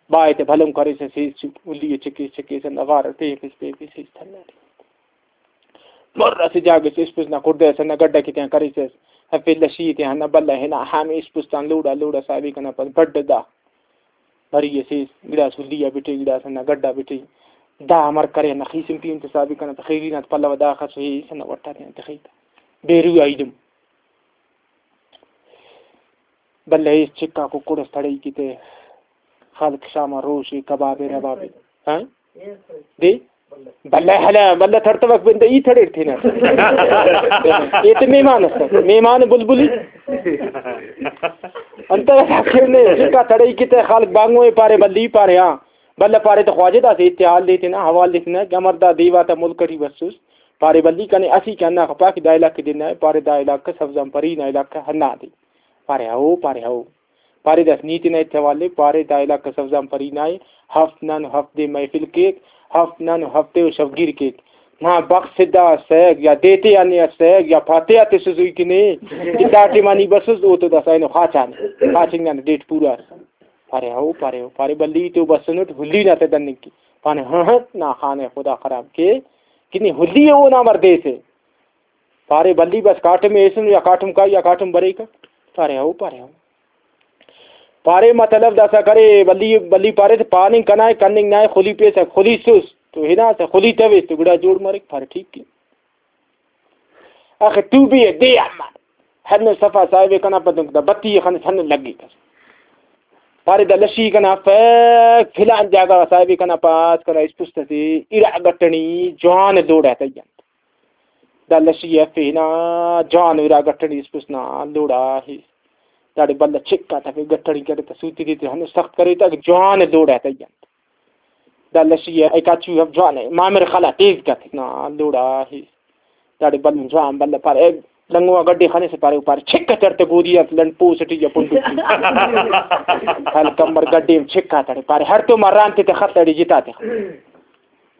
بائے تے بھلن کریسس ہیس چپ ہلی چکیس چکیس ہندا غار پیخس پیخس ہیس تھنا۔ مر اسہ جاگہ سے اسپس نا کڑدہ ئسے ہندا گڈ ئکے تیان کریسس، ہرفے لشی ئے تیان ہندا بلہ ہنا ہمے اسپس تان لوڑا لوڑا صاحبے کنا پد بڈ دا۔ بری ئسے گڑاس ہلی آ بٹے، گڑاس ہندا گڈ آ بٹے۔ دا امر کرے ہندا خیسن پین تہ صاحبے کنا تہ خیری نا تہ پلو آ داخس ہیس ہندا وٹ آ تیان تخے تہ بیرو آ ایدم۔ بلہ ایس چکا ککڑ اس تڑئی کیتے، خلق شام آ روش ءِ کباب ءِ رباب ءِ۔ ہاں؟ دے؟ بلہ ہلہ، بلہ تڑتوک بندہ ای تڑیر تھینا۔ اے تے مہمان است، مہمان بلبلی۔ انت آخر نے چکا تڑئی کیتے خلق بانگو ءِ پارے بلی پارے ہاں۔ بلہ پارے تو خواجہ داسہ اتحال دے تینا، حوال دے تینا کہ امر دا دیوا تا ملک ٹی بسوس۔ پارے بلی کنے اسی کہ ہندا خپا کہ دا علاقہ دے نا ءِ، پارے دا علاقہ سبزان پری نا علاقہ ہندا دے۔ پارے ہو، پارے ہو۔ پارے داس نی تینا ایتھے حوالے، پارے دا علاقہ سبزان پری نا ءِ، ہفت نن ہفت دے محفل کیک، ہفت نن ہفتے و شوگیر کیک۔ نا بخت سدھا اسک یا دیتے آ نے اسک یا پاتے آ تسس ای کہ نے، کہ دا ٹائما نی بسس او تو داسا اینو خاچان، خاچنگ نا ڈیٹ پورا اس۔ پارے ہو، پارے ہو، پارے بلی تو بسنٹ ہلی نا تہ دننگ کے۔ پانے ہاں ہاں، نا خانے خدا خراب کے، کہ نی ہلی اونا مردے سے۔ پارے بلی بس کاٹم ایسن یا کاٹم کائی یا کاٹم بریک۔ پارے ہو، پارے ہو۔ پارے مطلب داسا کرے بلی، بلی پارے تہ پاننگ کنا ءِ، کننگ نا ءِ، خلی پیسہ خلی سس تو ہناسہ خلی تویس تو گڑا جوڑ مریک۔ پارے ٹھیک کے۔ آخر ٹوبی ءِ دے آن مار۔ ہندن صفا صاحب ءِ کنا پدنک دا بتی ءِ خنس ہندن لگیکس۔ پارے دا لشی کنا افک فلان جاگہ غا صاحب ءِ کنا پاس کنا اسپست ئسے ارا گٹنی جوان لوڑا تیان۔ دا لشی افے ہنا جوان ارا گٹنی اسپست نا لوڑا ہیس۔ داڑے بلہ چکا تفے گٹنی کرے تا سوتی دے تے ہندن سخت کرے تا جوان لوڑا تیان۔ دا لشی ءِ کاچو ہم جوان ءِ، مامر خلا تیز کت نا لوڑا ہیس۔ داڑے بلن جوان بلہ پارے، اے لنگوا گڈے خنسہ پارے، او پارے، چھک تڑ تہ گودی آ لنڈ پوس ٹی یا پنڈو ٹی۔ خلک امر گڈے ہم چھکا تڑے پارے، ہڑتوما رانتے تہ خط اڑے جتا تخ۔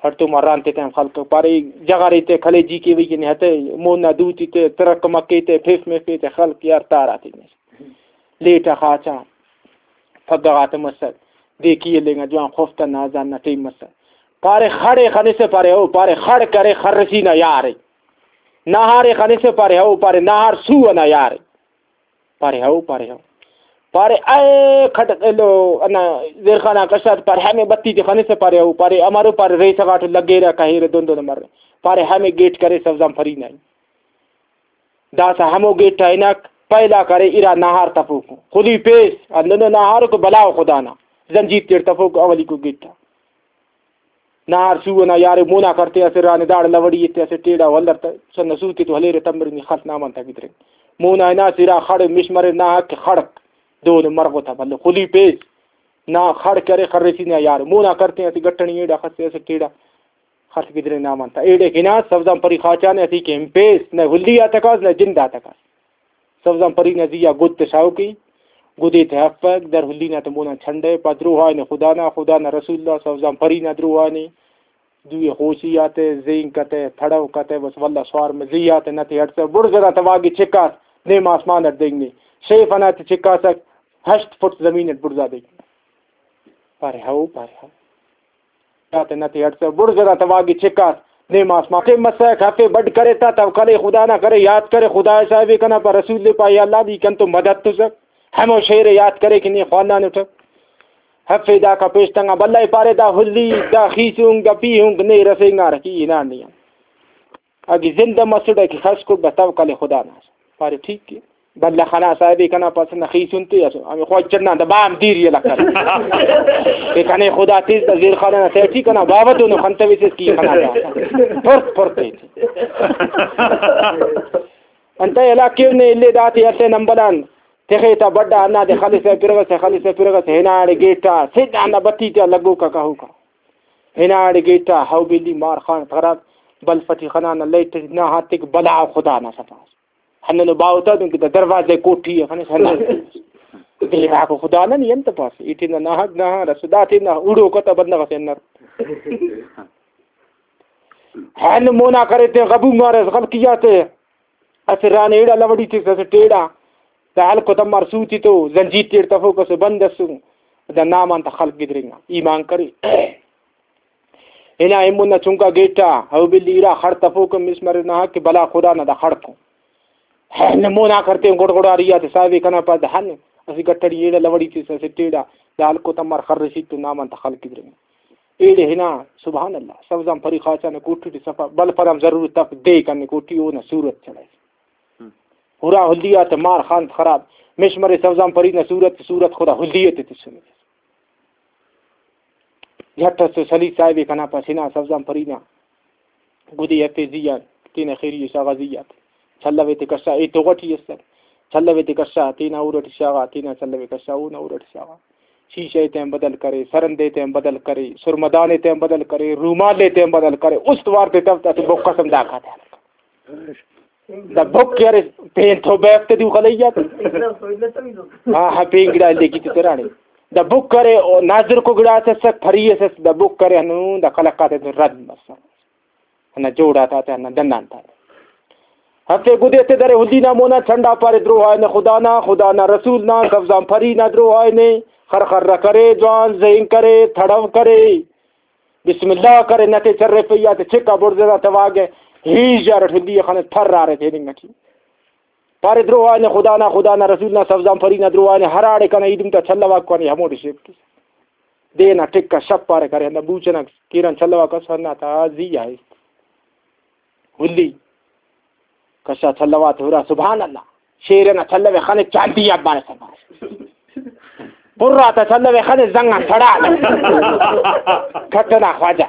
ہڑتوما رانتے تہ ہم خلک پارے، جغرے تہ کلیجی کے وی نے ہتے، مون نا دوتی تہ ترک مکے تہ پھف مفے تہ خلک یار تارا تینے۔ لیٹ آ خاچا پھگہ غاتے مسر، دے کی ایلینگا جوان خفتا نا اذان نا ٹائم مسر۔ پارے خڑے خنسہ پارے ہو، پارے خڑ کرے خرسی نا یار ءِ۔ نہارے خنسہ پارے ہو، پارے نہار سو ئنا یار ءِ۔ پارے ہو، پارے ہو۔ پارے اے کھڈ ایلو انا زیرخان آ کشاد پارے ہمے بتی تے خنسہ پارے ہو، پارے امرو پارے ریسہ غاٹو لگیرہ کہیرہ دن دن مرے۔ پارے ہمے گیٹ کرے سبزان پری نا ءِ۔ داسہ ہمو گیٹ آ ہناک پہلا کرے ارا نہار تفوکو۔ خلی پیس، ہندنو نہارکو بلاؤ خدا نا۔ زنجیر تیڑ تفوکو اولیکو گیٹ آ۔ نہار سو ئنا یارے مونا کرتے اسہ رانے داڑے لوڑی ایتے اسہ ٹیڑا ولر تہ سن سوتے تو ہلیرے تمرے نی خلت نامان تا گدرے۔ مونا ہناس ارا خڑ مش مرے ناحق کہ خڑک دون مرغو تا بھلو خلی پیس۔ نا خڑ کرے خرسی نا یار مونا کرتے اسہ گٹنی ایڑا خستے اسہ ٹیڑا۔ خٹ گدرے نام آن تا ایڑے ہناس سوزان پری خاچانے اسیکہ ہنپیس، نہ ہلی آ تکاس نہ جند آ تکاس۔ سوزان پری نا زی آ گد تہ شاغوکے، گدے تہ ہفک، در ہلی نا تہ مون آن چھنڈہ، پا دروہا نے خدا نا، خدا نا رسول نا، سوزان پری نا دروہا نے، دوئے خوشی آتے، زینک آتے، تھڑوک آتے، بس واللہ سوار مزی آتے، نہ تے ہڑسہ، بڑز ئنا تواگی چکاس، نیم آسمان اٹ دینگ نے، شیف ئنا تے چکاسک، ہشت فٹ زمین اٹ بڑزا دینگ نے۔ پارے ہو، پارے ہو۔ آتے نہ تے ہڑسہ، بڑز ئنا تواگی چکاس، نیم آسمان تے مسک، ہفے بڈ کرے تا توکل خدا نا کرے، یات کرے خدا صاحب کنا پا، رسول دے پا، یا اللہ دی کن تو مدد تسک۔ ہمو شعر ءِ یات کرے کہ نی خوانانٹ۔ ہفے داکا پیش تنگا بلہ ءِ پارے، دا ہلی، دا خیسونک، دا پیہونک نے رسینگارہ کہ ہنان نے آن۔ اگہ زندہ مسڑہ کہ خس کڑ بس توکل خدا نا۔ پارے ٹھیک ءِ۔ بلہ خنا صاحب ءِ کنا پاس نہ خیسون تے اسو۔ ہمے خواہی چڑنا دا بام دیر یلا کر۔ کہ کنے خدا تیز دا زیر خانہ نا سیٹی کنا بابت انو خنتویسس کی خنا دا۔ پرت پرت تے۔ انتئے ہلاک کیو نے الے داتے اسہ نمبلان تخے تا بڈا ہندادے خلسہ پرغسہ، خلسہ پرغسہ، ہناڑے گیٹا سدھ آ ہندا بتی تیا لگوکا کہوکا۔ ہناڑے گیٹا ہو بیلی مار خان خراب، بلف ٹی خنانا لائٹ نا ہاتک بلا خدا نا سفاس۔ ہندنو باوہ تا دنکہ دا دروازہ کوٹی ءِ خنس ہندن۔ دیواکو خدا نا نی انت پاس؟ ایٹی نا ناحق ناحق رسو داتے نا اڑوکا تا بندغ اسے انر۔ ہن مونا کرے تے غبو مارس غلطی آتے۔ اسہ رانے ایڑا لوڑی تس، اسٹ ایڑا۔ دا ہلکو تمار سوتی تو زنجیر تیڑ تفوک اسو بند اسو۔ دا نام آن تا خلق گدرینگا۔ ایمان کرے۔ ہنا ایمون نا چنکا گیٹا، او بلی ارا خڑ تفوک مس مرے نا کہ بلا خدا نا دا خڑکو۔ ہن مونا کرتے گڑ گڑاری آتے صاحب کنا پاس دا ہن۔ اسہ گٹڑی ایڑا لوڑی تس، اسٹ ایڑا۔ دا ہلکو تمار خرشی تو نام آن تا خلق گدرینگا۔ ایڑے ہنا، سبحان اللہ، سوزان پری خاچانہ کوٹی ٹی صفا، بلف آن ہم ضرورت اف، دے کنے کوٹی اونا صورت چڑھائے۔ ہم۔ ہرا ہلی آتے مار خان خراب، مش مرے سوزان پری نا صورت، صورت خدا ہلی تے تسنے۔ جھٹ اس تو سلی صاحب کنا پاس ہنا سوزان پری نا۔ گدے ہرفے زی آن، تینا خیری ءِ شاغا زی آتے۔ چلوے تے کشا، اے توغ ٹی اسر۔ چلوے تے کشا، تینا ہور ٹی شاغا، تینا چلوے کشا، اونا ہور ٹی شاغا۔ شیشہ تے ہم بدل کرے، سرندے تے ہم بدل کرے، سرمدانے تے ہم بدل کرے، رومالے تے ہم بدل کرے، است وار تے تف تے بک قسم دا کھاتے۔ دا بک کہ ارے پین تو بیفتے دیو خلیات۔ ہاں، ہاں، پین گڑا لے کی تے ترانے۔ دا بک کرے، او ناظر کو گڑا سے سک پھری سے، دا بک کرے ہنو، دا خلق آتے رد مسا۔ ہندا جوڑ آتا تے ہندا ڈنڈ آن تا۔ ہفتے گدے تے درے ہلی نا مونا چنڈا پارے دروہا نے خدا نا، خدا نا رسول نا، سوزان پری نا دروہا نے، خر خر کرے، جوان زین کرے، تھڑو کرے، بسم اللہ کرے، نتے چرے پیا تے چکا بڑزے دا تواگے، ہی جارٹ ہلی خنے تھر آرے تیننگ ٹی۔ پارے دروہا نے خدا نا، خدا نا رسول نا، سوزان پری نا دروہا نے، ہراڑے کنا ایدم تا چلوا کنے ہموڑے شیف کیس۔ دے نا ٹک آ شپ پارے کرے، ہندا بوچ ئنا کیران چلوا کس ہندا تا زی آ ایست۔ ہلی کشا چلوا تے ہرا، سبحان اللہ، شیر ئنا چلوے خنے چاندی آ بارے سبار۔ پر آتا چلوے خنے زنگ آن سڑا۔ کھٹنا خواجہ۔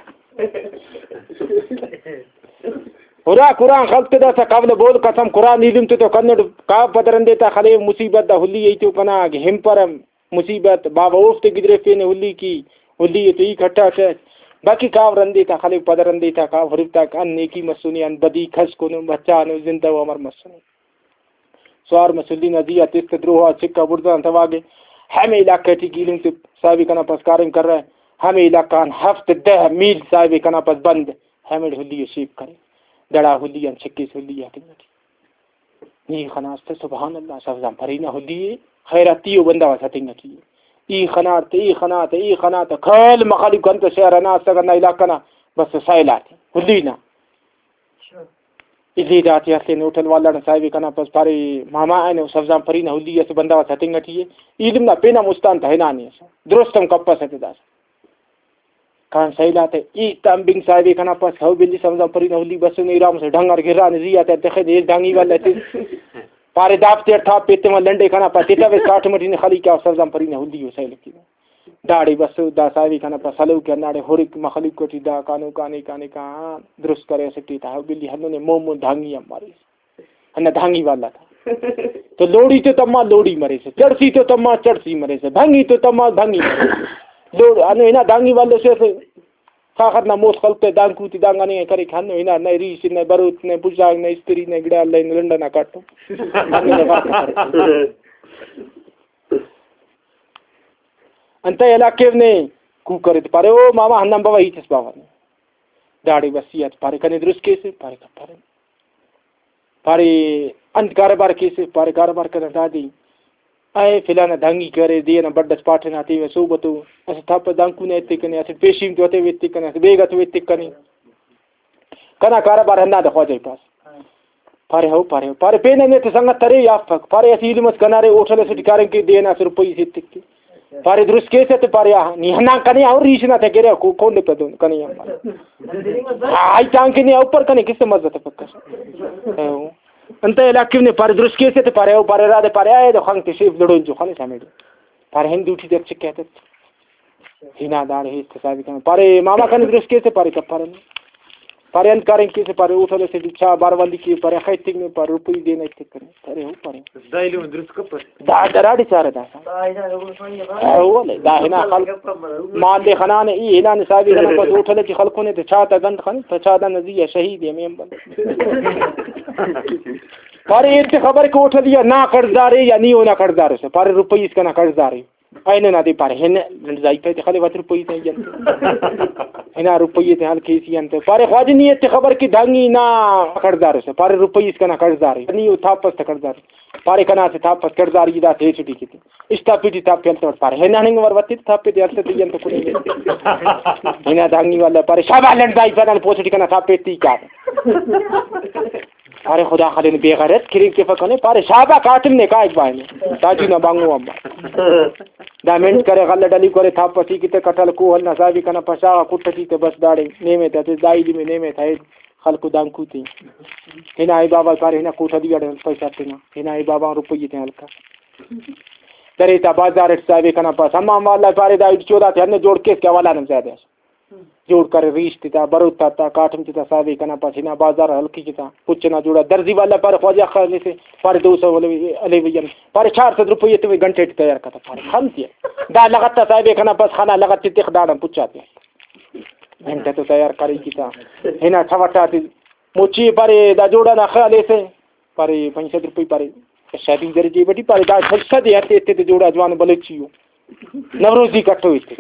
ہرا قرآن خلق تے داسا قبل بول قسم قرآن ایلم تے تو کنڈ کا پدرندے تا خلے مصیبت دا ہلی ایتو کنا ہمپرم۔ مصیبت، باوہ اوفتے گدریفینے ہلی کی، ہلی ءِ تو ای کھٹا کیس۔ باقی کاو رندے تا خلک، پد رندے تا کاو ہرفتاک، ان نیکی مسنے، ان بدی، کھسکنو، بچانو، زندہ و امر مسنے۔ سوار مس ہلی نا زی آ تس تہ دروہا چکا بڑزان تواگے۔ ہمے علاقہ ٹی گیلم تے صاحب کنا پس کاریم کرہ۔ ہمے علاقہ آن ہفت دہ میل صاحب کنا پس بند۔ ہمیڑے ہلی ءِ شیپ کرے۔ دڑا ہلی آن چکیس ہلی آ تنگٹی۔ نی خناس تہ سبحان اللہ، سوزان پری نا ہلی ءِ، خیراتی ءُ بندغ اس ہتنگ ٹی ءِ۔ ای خناٹ تہ، ای خنا تہ، ای خنا تہ، کل مخلوق انت شہر انا اسک ہندا علاقہ نا، بس سیل آتے ہلی نا۔ الی داتے ہرفین ہوٹل والا نا صاحب کنا پس پارے، ماما اینو سوزان پری نا ہلی اسہ بندغ اس ہتنگ ٹی ءِ۔ ایلم نا پین ہم استان تہ ہنانے ئسے، درست ہم کپسہ تہ داسہ۔ کان سیل آتے ای تمبنگ صاحب ءِ کنا پاس، ہو بلی سمزان پری نا ہلی بسنے، ارام سے ڈنگر گرانے زی آتے تخے دے ڈانگی والا تے۔ پارے داپ تیڑ تھا پیتے ما لنڈے کنا پاس، تیتا وے ساٹھ مٹی نے خلی کیا سمزان پری نا ہلی ہو سیل کی۔ داڑے بس دا صاحب ءِ کنا پاس ہلو کہ ناڑے ہورک مخلوق ٹی دا کانو کانے کانے کان درست کرے سکتی تا، ہو بلی ہنو نے مومو ڈانگی ہم مارے۔ ہندا دھانگی والا تا۔ تو لوڑی تو تما لوڑی مریسہ، چڑسی تو تما چڑسی مریسہ، بھنگی تو تما بھنگی مریسہ۔ لوڑ، ہنو ہنا دھانگی والو سے سے ساخت نا موس خلتے دانکو تے دانگانے کرے کہ ہنو ہنا نئے ریش، نئے بروت، نئے پژاک، نئے استری، نئے گڑا لائن لنڈنا کاٹو۔ انتئے ہلاک کیو نے کوکر تے پارے، او ماما ہندن بابا ہیت اس بابا نے۔ داڑے وصیت، پارے کنے درست کیسے؟ پارے کپرہ۔ پارے انت کاروبار کیسے؟ پارے کاروبار کنا دادے، اے فلانا دھنگی کرے، دے ئنا بڈ ئس پاٹہ نا تیوہ صحبتو، اسہ تھاپہ دانکو نا ایتک کنے، اسہ پیشیم تو ہتیوہ ایتک کنے، اسہ بیگہ تو ایتک کنے، کنا کاروبار ہندادے خواجہ ءِ پاس۔ پارے ہو، پارے ہو۔ پارے پین نے تو سنگت ارے یا افک؟ پارے اسہ ایلم اس کنا ارے، ہوٹل اسے ٹی کاریم کے، دے ئنا اسہ روپئی سے ایتک کے۔ پارے درست کیسہ؟ تو پارے آ، نی ہندا کنے آ ریش نا تہ گرے کو-، کونڈ پہ دون کنے آ۔ آئی تان کے نے اوپر کنے کس مزہ تہ پکا۔ انت علاقے نے؟ پارے درست کیسہ؟ تو پارے او، پارے رادے، پارے آئے دو خنگ تے شیف لڑون جو خنے سامے دو۔ پارے ہندو ٹی دے چکے تہ۔ ہنا داڑے ہیت حسابی کنے۔ پارے ماما کنے درست کیسہ؟ پارے کپرہ۔ پارے انت کاریم کیسہ؟ پارے ہوٹل اسے ٹی چاہ باروالی کے، پارے اخہ ایتک نے؟ پارے روپئی دے نا ایتک کنے۔ پارے ہو، پارے۔ دا ایلم درست کپر۔ دا دراڑے چارہ داسا۔ او ولے، دا ہنا خلق مال دے خنانے، ای ہنانے حسابی کنا پس ہوٹل ٹی خلکونے تے چاہ تا گنڈ خن، تو چاہ دانا زی آ شہید اے ہمے امبل۔ پارے ایتے خبر کہ ہوٹل یا نا قرض دارے یا نی اونا قرض دارے سے۔ پارے روپئی اس کنا قرض دارے۔ اینو نا دے پارے، ہن لنڈزائی پہ تے خلے وت روپئی تے انت۔ ہنا روپئی تے ہلکیسی انت۔ پارے خواجہ نی ایتے خبر کہ دھنگی نا قرضدار اسے۔ پارے روپئی اس کنا قرضدار اے۔ نی او تھاپس تہ قرضدار اے۔ پارے کنا اسہ تھاپس قرضدار ای دا تے چھٹی کیتے۔ اشتا پیٹی تھاپے ہلتوٹ پارے۔ ہنا ہننگ ور وتے تھاپے تے ہلتے تے انت کنے۔ ہنا دھنگی والا پارے شابا لنڈزائی پہ دن پوسٹی کنا تھاپے تی کار۔ پارے خدا خلین بے غیرت کرین کے فکنے، پارے شابا کاٹم نے کائک بائنے۔ تاجو نا بانگو اما۔ دا منٹ کرے، غلہ ڈلی کرے، تھاپ پسی کیتے کٹل کوہل نا حسابی کنا پشاغا کٹتی تے بس داڑے نیمے تا تے دائی لیمے نیمے تا خلکو دانکو تے۔ ہنا ای بابا پارے ہنا کوٹا دی اڑے پیسہ تینا۔ ہنا ای بابا روپیے تے ہلکا۔ درے تا بازار اٹ حسابی کنا پس۔ امام والا پارے دا اٹ چودا تے ہنو جوڑ کیس کہ حوالہ نم زیادہ اس۔ جوڑ کرے، ریش تتا، بروت تتا، کاٹم تتا، ساوے کنا پاس ہنا بازار ہلکی کتا، پچ ئنا جوڑا۔ درزی والا پارے خواجہ خان سے، پارے دو سو والے، علی بھیا، پارے چار سد روپے تو گھنٹے ٹی تیار کتا، پارے خن تیا۔ دا لغت تا ساوے کنا پاس خنا لغت تے تخ داڑان پچا تیا۔ گھنٹہ تو تیار کری کتا۔ ہنا چھوٹا تے مچی پارے دا جوڑا نا خیال سے۔ پارے پنچ سد روپئی پارے، شادی درجے بٹی پارے، دا سد سد ہتے، ہتے تے جوڑا جوان بلوچی ہو۔ نوروزی کٹو ہتے۔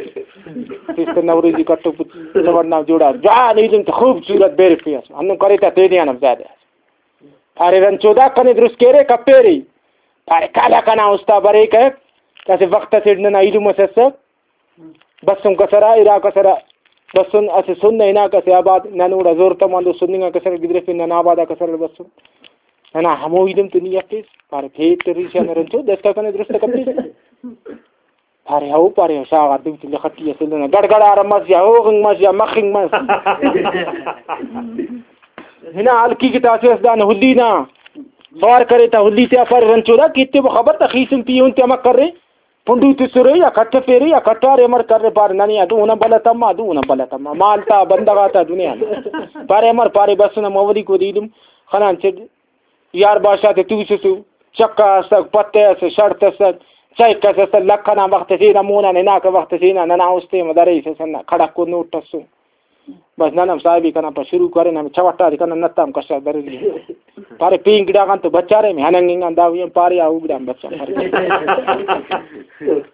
اس تے نوروزی کٹو پت-، سوڑ نا جوڑا۔ جوان ایلم تے خوبصورت بیر پیاس۔ ہندن کرے تا تینے آن ہم زیادہ۔ پارے رنچو دا کنے درست کیرے کپیرے۔ پارے کالا کنا استا بریک ہے۔ اسہ وخت اسے ننا ایلم اس اسک۔ بسن کسرا، ارا کسرا، بسن اسہ سن نا ہناکہ اسہ آباد، نن اوڑا زور تماندو سننگا کسر گدرفن، نن آبادا کسر بسن۔ ننا ہمو ایلم تو نی افیس، پارے پھیٹ ریشان رنچو، دستا کنے درست کپیس۔ پارے ہو، پارے ہو، شاغار دوتی لخٹی اسے لنا، گڑگڑار مس یا ہوغنگ مس یا مخنگ مس۔ ہنا ہلکی کہ تاسے اس دان ہلی نا، سوار کرے تا ہلی تیا پارے رنچو دا، کتے وہ خبر تا خیسن پیون تیا مکرے۔ پنڈو تسرے یا کٹفیرے یا کٹارے امر کرے پارے ننے آ دو اونا بلہ تما، دو اونا بلہ تما۔ مال تا بندغ آتا دنیا نا۔ پارے امر پارے بس نم اولیکو دے ایلم خنان چڈ۔ یار بادشاہ تے توسسو، چکا اسک، پتہ اسک، شڑت اسک، چائک اس اسک، لکھ ئنا وخت سے نا مونا ہناکہ وخت سے نا ننا استے مدرے سے سنا کھڑکو نوٹ اسو۔ بس نن ہم صاحبی کنا پا شروع کرین، ہمے چوٹا دے کنا نت ہم کشا بریرے۔ پارے پین گڑا غان تو بچارے، ہمے ہننگ انگان دا وی ہم پارے آ او گڑا ہم بچا پارے۔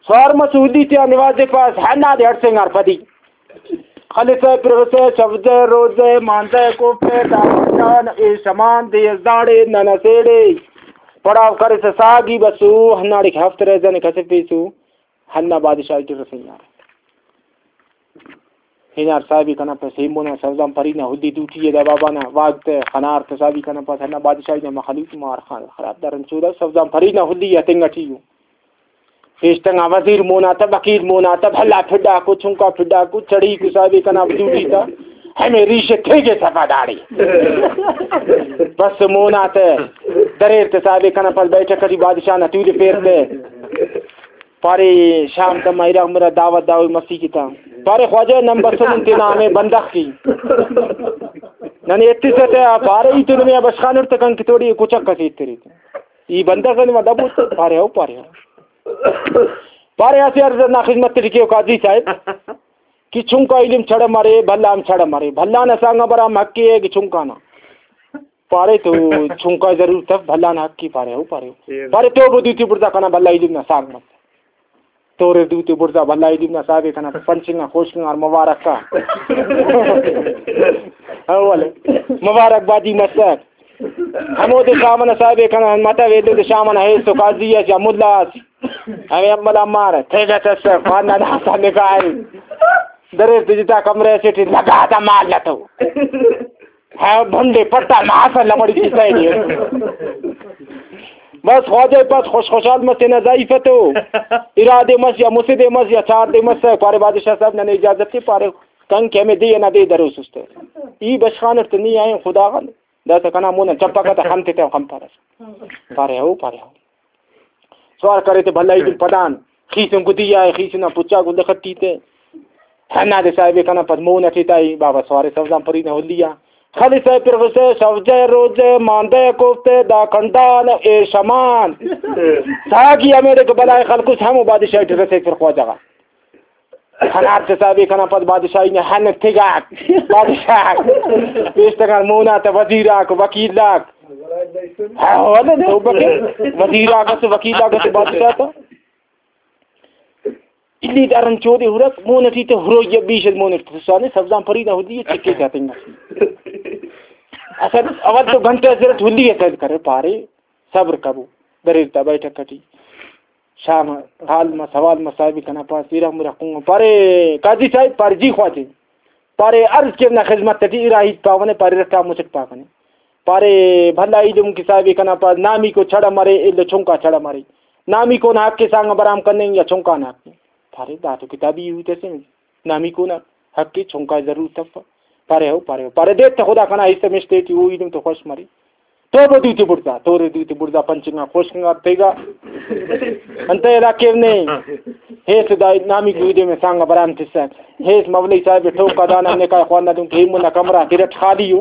سوار مس ہلی تیا نواز پاس، ہندا دے ہڑسینگار پدی۔ خلسہ پروسہ، شوزہ روزہ، مانزہ کوفہ، داوت جان، اے شمان دے اس داڑے نن اسیڑے۔ پڑاو کرسہ ساگی بسو، ہنداڑے کہ ہفت رہزن کسفیسو، ہندا بادشاہی ٹی رسینگار۔ ہنار صاحبی کنا پس ایمونا سوزان پری نا ہلی دوٹی ء دا بابا نا واگ تہ خنار تہ صاحبی کنا پس ہندا بادشاہی نا مخلوق مار خان خراب دارن چودا سوزان پری نا ہلی ء تنگ اٹی ء۔ پیشتنگا وزیر مونا تہ، وکیل مونا تہ، بھلا پھڈاکو، چنکا پھڈاکو، چڑیکو صاحبی کنا دوٹی تہ، ہمے ریش تھیگے صفا داڑے۔ بس مونا تہ دریر تہ صاحبی کنا پس بیٹھک اٹی بادشاہ نا تولفیر تہ۔ پارے شام تما اراغ مرا دعوت داوئی مسیت آ۔ پارے خواجہ نن بسنن تینا ہمے بندغ کی۔ ننے ایتسہ تہ آ پارے ای تو نمے آ بشخانٹ تہ کن کہ توڑی کچک ئس ایترے۔ ای بندغ نما دبو تہ پارے او پارے او۔ پارے اسہ عرض نا خذمت ٹی کیو قاضی صاحب کہ چنکا ایلم چڑہ مرے، بھلا ہم چڑہ مرے۔ بھلا نا سانگ آ برام حق ء کہ چنکا نا۔ پارے تو چنکا ضرورت اف، بھلا نا حق ء پارے او پارے او۔ پارے تو بدو تی بڑزا کنا بھلا ایلم نا سانگ مس۔ تورے دوتے بڑزا بھلا ایلم نا صاحب کنا پنچ انگا خوش انگار مبارک کا۔ اول مبارک بادی مسک۔ ہمودے شام ئنا صاحب کنا متو ایلو دے شام ئنا ہیس تو قاضی اس یا ملا اس۔ ہمے عمل امار تیگا تس خوانا داسا نکاح۔ دریر تے جتا کمرہ سے ٹی لگا تا مال لتو۔ ہاں، بھنڈے پٹا ماسا لمڑی کسہ ءِ۔ بس خواجہ پاس خوش خوشحال مس تینا زائیفہ تو۔ ارا دے مس یا مسہ دے مس یا چار دے مس، پارے بادشاہ صاحب ننے اجازت تے، پارے کن کہ ہمے دے ئنا دے دروسس تہ۔ ای بشخانٹ تہ نی آئین خدا غن۔ داسہ کنا مون آن چپکہ تہ خن تیتہ خن پارس۔ پارے ہو، پارے ہو۔ سوار کرے تے بھلا ایلم پدان خیسن گدی آئے، خیسن آن پچا گل خٹی تے۔ ہندا دے صاحب کنا پد مون اٹی تا ای بابا سوارے سوزان پری نا ہلی آ۔ خلی صاحب پروفیسر سوجہ روزہ ماندہ کوفتے دا کنڈان اے شمان۔ ساگی ہمیڑے کہ بلائے خلکس ہمو بادشاہ ٹی رسے پھر خواجہ غا۔ ہنار تے صاحب کنا پد بادشاہی نے ہن تگاک۔ بادشاہ پیش تکان مونا تا وزیراک، وکیلاک۔ ہاں، ولے توبہ کے۔ وزیراک اس، وکیلاک اس بادشاہ تا۔ الی دارن چودے ہرک، مون ٹی تے ہروئی بیش مون ٹی سانے سبزان پری دا ہدی چکے جاتیں۔ اصل اول تو گھنٹہ زرت ہلی اصل کرے پارے۔ صبر کبو، دریر تا بیٹھک اٹی۔ شام حال مس، حوال مس، صاحب کنا پاس، ارغ مرغ کنگو۔ پارے، قاضی صاحب، پارے، جی خواجہ۔ پارے، عرض کیو نا خذمت اٹی، ارا ہیت پاونے، پارے، رٹا مچٹ پاکنے۔ پارے، بھلا ایلم کہ صاحب کنا پاس، نامیکو چڑہ مرے، ایلو چنکا چڑہ مرے۔ نامیکو نا حق سانگ برام کننگ یا چنکا نا حق؟ پارے، دا تو کتابی ہیت اسے۔ نامیکو نا حق ءِ، چنکا ءِ ضرورت اف۔ پارے ہو، پارے ہو۔ پارے دے تہ خدا کنا حصہ مش تیٹی او ایلم تو خوش مرے۔ توبہ دوتے بڑزا، تورے دوتے بڑزا پنچ انگا خوش انگا تیگا۔ انتئے علاقے نے ہیس دا نامی گویدے میں سانگا برام تسا۔ ہیس مولوی صاحب ٹوکا دانا نکاح خوانا دن کہ منا کمرہ تیرٹ خالی ہو۔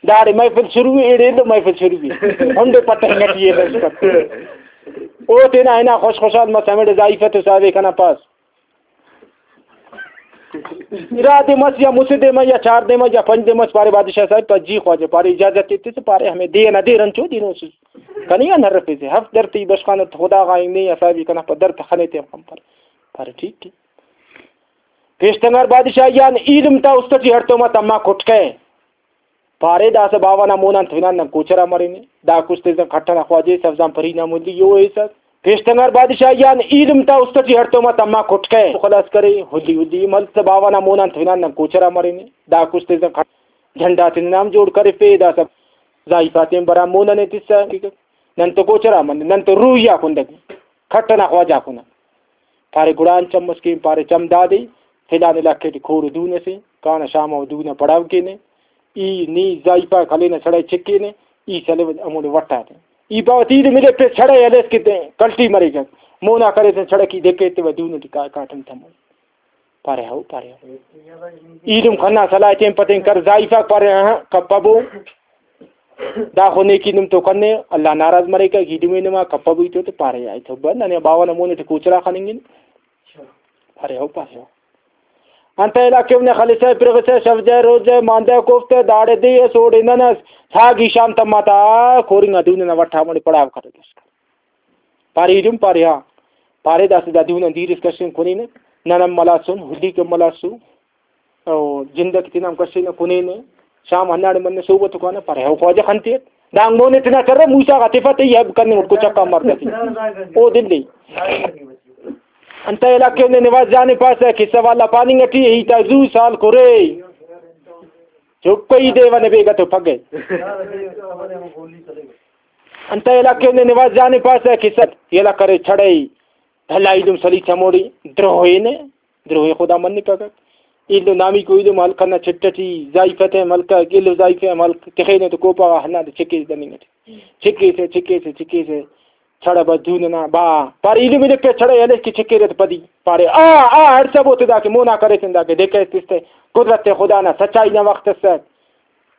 داڑے محفل شروع ہے، ایڑے لو محفل شروع ہے۔ ہنڈے پتہ نٹی ہے بس پتہ۔ او تینا ہنا خوش خوشحال مس ہمیڑے زائیفہ تو صاحب کنا پاس۔ ارا دے مس یا مسہ دے مس یا چار دے مس یا پنچ دے مس، پارے بادشاہ صاحب پا جی خواجہ، پارے اجازت ایتے سے، پارے ہمے دے ئنا دیر انچو دینو سے۔ کنے آن ہرفیسے، ہفت در تے بشخانٹ خدا غا نے یا صاحب کنا پا در تخنے تے ہم پر۔ پارے ٹھیک ہے۔ پیشتنگار بادشاہ یان ایلم تا است ٹی ہڑتوما تما کٹکے۔ پارے داسہ باوہ نا مون آن تو ہنان نن کوچر آ مرینے۔ دا کشتے زن کھٹ ئنا خواجہ سبزان پری نا ملی یو ایسس۔ پیشتنگار بادشاہ یان ایلم تا است ٹی ہڑتوما تما کٹکہ۔ خلاص کرے، ہلی ہلی مل تہ باوہ نا مون آن تو ہنان نن کوچر آ مرینے۔ دا کشتے زن کھٹ جھنڈا تینا نام جوڑ کرفے۔ داسہ زائیفا تین برا مون نے تسہ۔ نن تو کوچر آ من، نن تو روحی آ کندگ کھٹ ئنا خواجہ آ کنن۔ پارے گڑا انت چم اس کین؟ پارے چم دادے، فلان علاقہ ٹی کور و دون اسے، کانہ شام و دون آ پڑاو کینے، ای نی زائیفاک ہلینہ سڑائے چکینہ، ای سلوہ ہموڑے وٹاتے۔ ای پاوہ تے ایلم ملے پہ سڑائے ہلیس کہ تے کلٹی مریک، مونا کریسن سڑک ای دکہ ایتیوہ دون ٹی کا-، کاٹم تمو۔ پارے ہو، پارے ہو۔ ایلم خنا سلاہ تین پتین کر، زائیفاک پارے ہاں کپبو۔ داخو نیکی نم تو کنے، اللہ ناراض مریکہ، گیڈی میں نما کپہ بوئی تو، تو پارے آئی تو بند، ننے باوہ نا مونے تے کوچرا خننگن۔ پارے ہو، پارے ہو۔ انت علاقے نے خلسہ پرغسہ شف جائے روز جائے ماندہ کوفتہ داڑے دے اس اوڑے نن اس ساگی شام تما تا کورنگا دون نا وٹا مڑے پڑاو کرے دس۔ پارے ایلم پارے ہاں۔ پارے داسہ دا دون آن دیر اس کشن کنینہ، نن ہم ملاسن، ہلیک ہم ملاسو۔ او جندک تینا ہم کشینہ کنینہ، شام ہنداڑے منہ صحبت و کانہ پارے، او خواجہ خنتے اٹ دانگ مونے تینا کرہ، موسیٰ غا تفا تئی ہیب کننگ اٹ کچکا مرد تے۔ او دلے۔ انتئے علاقے نے نواز جان پاسہ قصہ والا پاننگ اٹی، ہیتا زو سال کرے۔ چپ کئی دے ون بیگہ تو پگہ۔ انتئے علاقے نے نواز جان پاسہ قصہ یلہ کرے چھڑے۔ بھلا ایلم سلیس ہموڑے دروہے نے۔ دروئے خدا منپکک۔ ایلو نامیکو ایلم ہلک ئنا چٹ ئٹی زائیفہ تے ہم ہلکک، ایلو زائیفہ ہم ہلک تخینہ تو کوپہ غا ہندادے چکیس دننگ ئٹی۔ چکیسہ، چکیسہ، چکیسہ، چھڑہ بس دون ئنا با۔ پارے ایلم ایلم پہ چھڑہ ہلیس کہ چکیرہ تہ پدی۔ پارے آ، آ، ہڑسبو تے داکہ مونا کریسن داکہ دیکھہ اس تس تہ قدرت خدا نا سچائی نا وخت اسک۔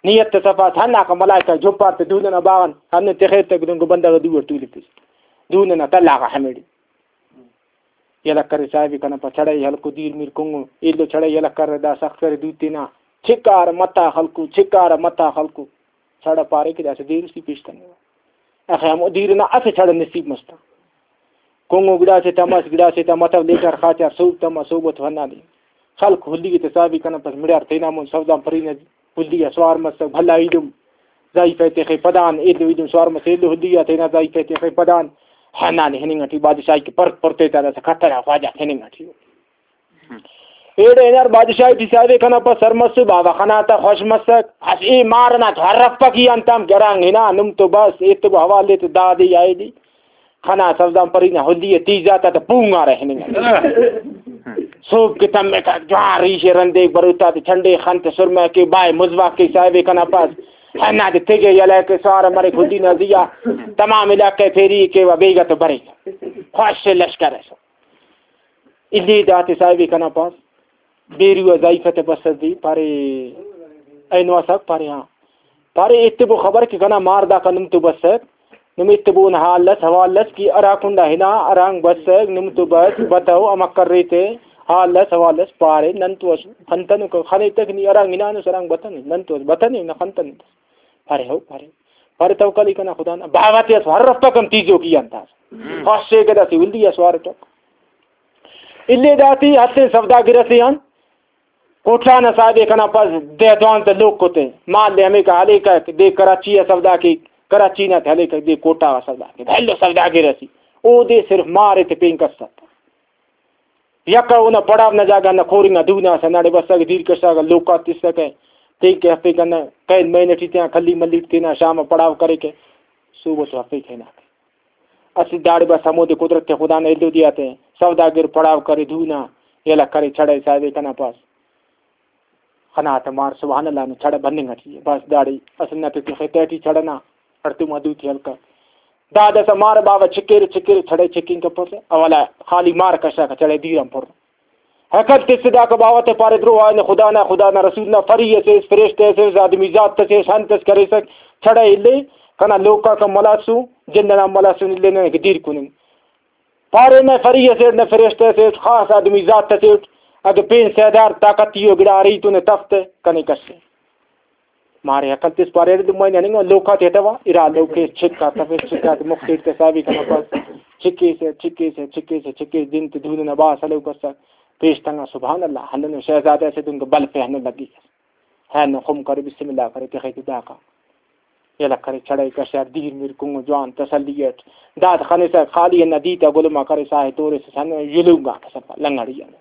نیت تہ صفا اس، ہنداکا ملائکہ جھپار تہ دون ئنا باغان ہندن تخیر تہ دنگو بندغ دو اٹ تولفس۔ دون ئنا تلاغا ہمیڑے۔ یلہ کرے صاحب کنا پا چھڑہ ءِ ہلکو دیر میر کنگو، ایلو چھڑہ ءِ یلہ کرے دا سخت کرے دو تینا، چکار متا خلکو، چکار متا خلکو۔ چھڑہ پارے کہ داسہ دیر اسی پیش تننگا۔ اخہ ہمو دیر نا اسہ چھڑہ نصیب مستا۔ کنگو گڑاسے تماس، گڑاسے تا متو لیکار خاچار سوب تما سوب تو ہندا دے۔ خلق ہلی تے صاحبی کنا پس مڑار تینا مون سوزان پری نا ہلی آ سوار مسک، بھلا ایدم ضعیفہ تخے پدان، ایلو ایدم سوار مسک، ایلو ہلی آ تینا ضعیفہ تخے پدان، ہنانے ہننگ ٹی بادشاہی کہ پرت پرتے تا داسا کھترا خواجہ ہننگ ٹی۔ ایڑے ہنار بادشاہ ٹی صاحب کنا پا سر مسو، بابا خنا تا خوش مسک، اس اے مار ئنا تو ہرفک ای انتام گرانگ ہنا، نم تو بس ایتبو حوالے تو دادے یا ایدے۔ خنا سوزان پری نا ہلی ء تیزا تا تہ پونگارہ ہننگ ء۔ سوب کہ تمکہ جوان ریش ء رندیک بروتا تے چھنڈے خن تے سرمہ کے بائے مزواک کے صاحب کنا پاس۔ ہندا تے تیگہ یلہ کے سوار مریک ہلی نا زیا۔ تمام علاقہ پھیری کے و بیگہ تو بریک۔ خوش لشکر ئسے۔ الی داتے صاحب کنا پاس، بیرو آ ضعیفہ تے بسس دی، پارے، اینو آ سک؟ پارے، ہاں۔ پارے، ایتبو خبر کہ کنا مار داکا نم تو بسک، نم ایتبو نا حال اس، حوال اس کہ ہرا کنڈا ہنا، ہرانگ بسک، نم تو بس، بتو، امر کریتے، حال اس، حوال اس، پارے، نن تو اس خنتنو، خنے تک نی ہرانگ ہنانس، ہرانگ بتنے، نن تو اس بتنے، نہ خنتنے۔ پارے، ہو، پارے۔ پارے، توکل ای کنا خدا نا، باوہ تے اس ہر رفتہ کم تیزو کی انتاس۔ ہم۔ خاصے کہ داسے ولدی اس وارٹک۔ الی داتی ہتین سوداگر ئسے آن کوٹلان نا صاحب ء کنا پاس دہ دوانزدہ لوک تے مال دے ہمیکا ہلیکک، دے کراچی آ سودا کیک، کراچی نا تے ہلیکک، دے کوٹہ غا سودا کیک۔ بھلو سوداگر ئسے، اودے صرف مار تے پین کس ات۔ یکہ اونا پڑاو نا جاگہ نا کورنگ آ دو نا اسہ ناڑے بسکہ، دیر کشاکہ، لوکا تسکہ، تینکہ ہرفیکہ، نہ کین مین ٹی تینا کلی ملی ٹی تینا شام آ پڑاو کریکہ، صبح تو ہرفیکہ ہناکہ۔ اسہ داڑے بس ہمودے قدرت خدا نا ایلو دے آتے سوداگر پڑاو کرے، دو نا یلہ کرے، چڑہ صاحب کنا پاس۔ خنا تہ مار سبحان اللہ نا چڑہ بننگ ٹی ء۔ بس داڑے اسہ نت تخے تہٹی چڑہ نا ہڑتوما دوتے ہلکہ۔ دادسا مار باوہ چکیرے چکیرے چڑہ چکینگ کپسہ، اولا خالی مار کشاکہ چڑہ دیر آن پر۔ ہیکل تس داکا باوہ تہ پارے، درو آئین خدا نا، خدا نا رسول نا فری اسے، فرشتہ اسے، آدمی ذات اسے، انت اس کریسک، چڑہ الے، کنا لوکاک ہم ملاسو، جند ئنا ہم ملاسو، الے ننے کہ دیر کننگ۔ پارے نہ فری اسیٹ نہ فرشتہ اسیٹ، خاص آدمی ذات اسیٹ، اگہ پین سیدار طاقتی ء گڑا ارے تو نے تف تہ کنے کس ء۔ مارے عقل تس پارے ارے دمائی نے ہننگ لوکا تے ہتوا، ارا لوکے چھکا تفیس، چھکا تے مخ تیٹ تہ صاحبی کنا پاس، چھکیسہ، چھکیسہ، چھکیسہ، چھکیس دن تے دودہ نا باس ہلوک اسک، پیش تنگا سبحان اللہ، ہندنو شہزادہ اسے دنکہ بلفے ہندن لگی۔ ہینو خم کرے، بسم اللہ کرے، تخے تے داکا یلہ کرے، چڑھے کشار، دیر میر کنگو جوان تسلی اٹ۔ داد خنسہ خالی ہندا دیتا گلما کرے، ساہ تورس ہنو یلونگا کسفا لنگڑی ہنو۔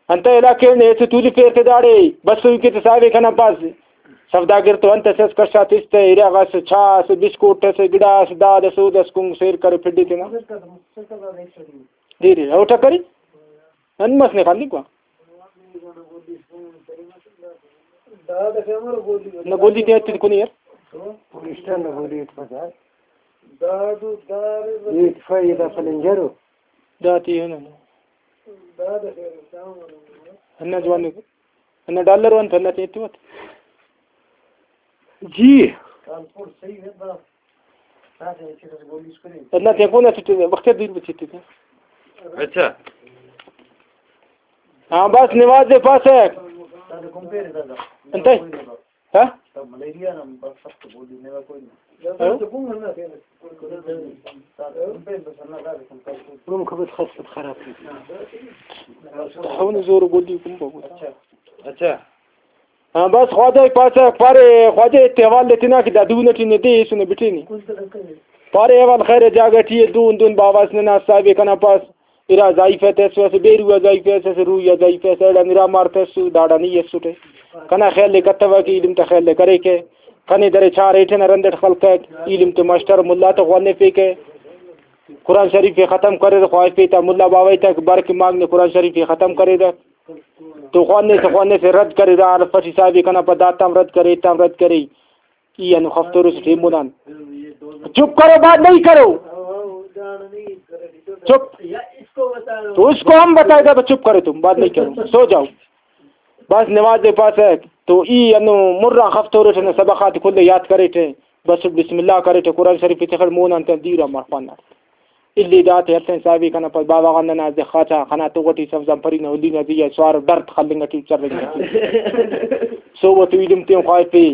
انتئے علاقے نے ایسے تولی پیر تے داڑے بسوئی کے تے صاحب کنا پاس سوداگر تو انت اس کشا تس تے ارا غس چا اس بسکوٹ اس گڑاس داد اس اودس کنگ سیر کرے پھڈی تینا۔ دیر اوٹا کری۔ نن مس نے خالی کو۔ نہ گولی تے اتنی کونی یار۔ پولیسٹان نہ گولی ات پتا۔ ایت فائدہ پلنجرو۔ داتی ہے نا۔ انا جوانی کو۔ انا ڈالر وان تھا، انا تے اتوت۔ جی۔ اللہ تین کون اسٹ وقت دیر بچتے تھے۔ اچھا۔ ہاں، بس نماز دے پاس ہے۔ انتئے؟ ہاں؟ ہاں؟ روم خبر خاص خراب۔ ہون زور گولی کم بابو۔ اچھا۔ ہاں، بس خواجہ پاسہ پارے، خواجہ تے حوال دے تینا کہ دا دو نٹی نے دے ایسو نے بٹینی۔ پارے حوال خیر جاگہ ٹی اے، دون دون باواس ننا صاحب کنا پاس ارا ضعیف تے اسو، اسہ بے روح ضعیف اس، اسہ روح ضعیف اس، ایڑا نرا مار تسو، داڑا نی اسوٹے۔ کنا خیال لے کتوہ کہ ایلم تا خیال لے کریکہ۔ کنے درے چار ایٹھے نا رندٹ خلقک، ایلم تے ماسٹر ملا تے خوانفیکہ۔ قرآن شریف ختم کریر، خواہفے تا ملا باوہ تا بر کہ مانگ نے قرآن شریف ختم کریر۔ تو خوانیسہ، خوانیسہ رد کرے، دا حرف اٹی صاحب کنا پا داتام رد کرے، ایتام رد کرے۔ ای انو خفتورس ٹی مونان۔ چپ کرو، بات نہیں کرو۔ چپ۔ تو اس کو ہم بتائے گا، تو چپ کرو تم، بات نہیں کرو، سو جاؤ۔ بس نماز دے پاسہ تو ای انو مران خفتورس نے سبق آتے کل یاد کریٹے، بس بسم اللہ کریٹے، قرآن شریف تخر مونان تن دیرا مرخوان۔ الی داتے ہتین صاحبی کنا پاس بابا غان ننا دے خاچا خنا تو غٹی سبزان پری نا ہلی نا زی آ سوار و ڈرت خلنگ ٹی چرنگ ٹی۔ صوبہ تو ایلم تیون خواہفے،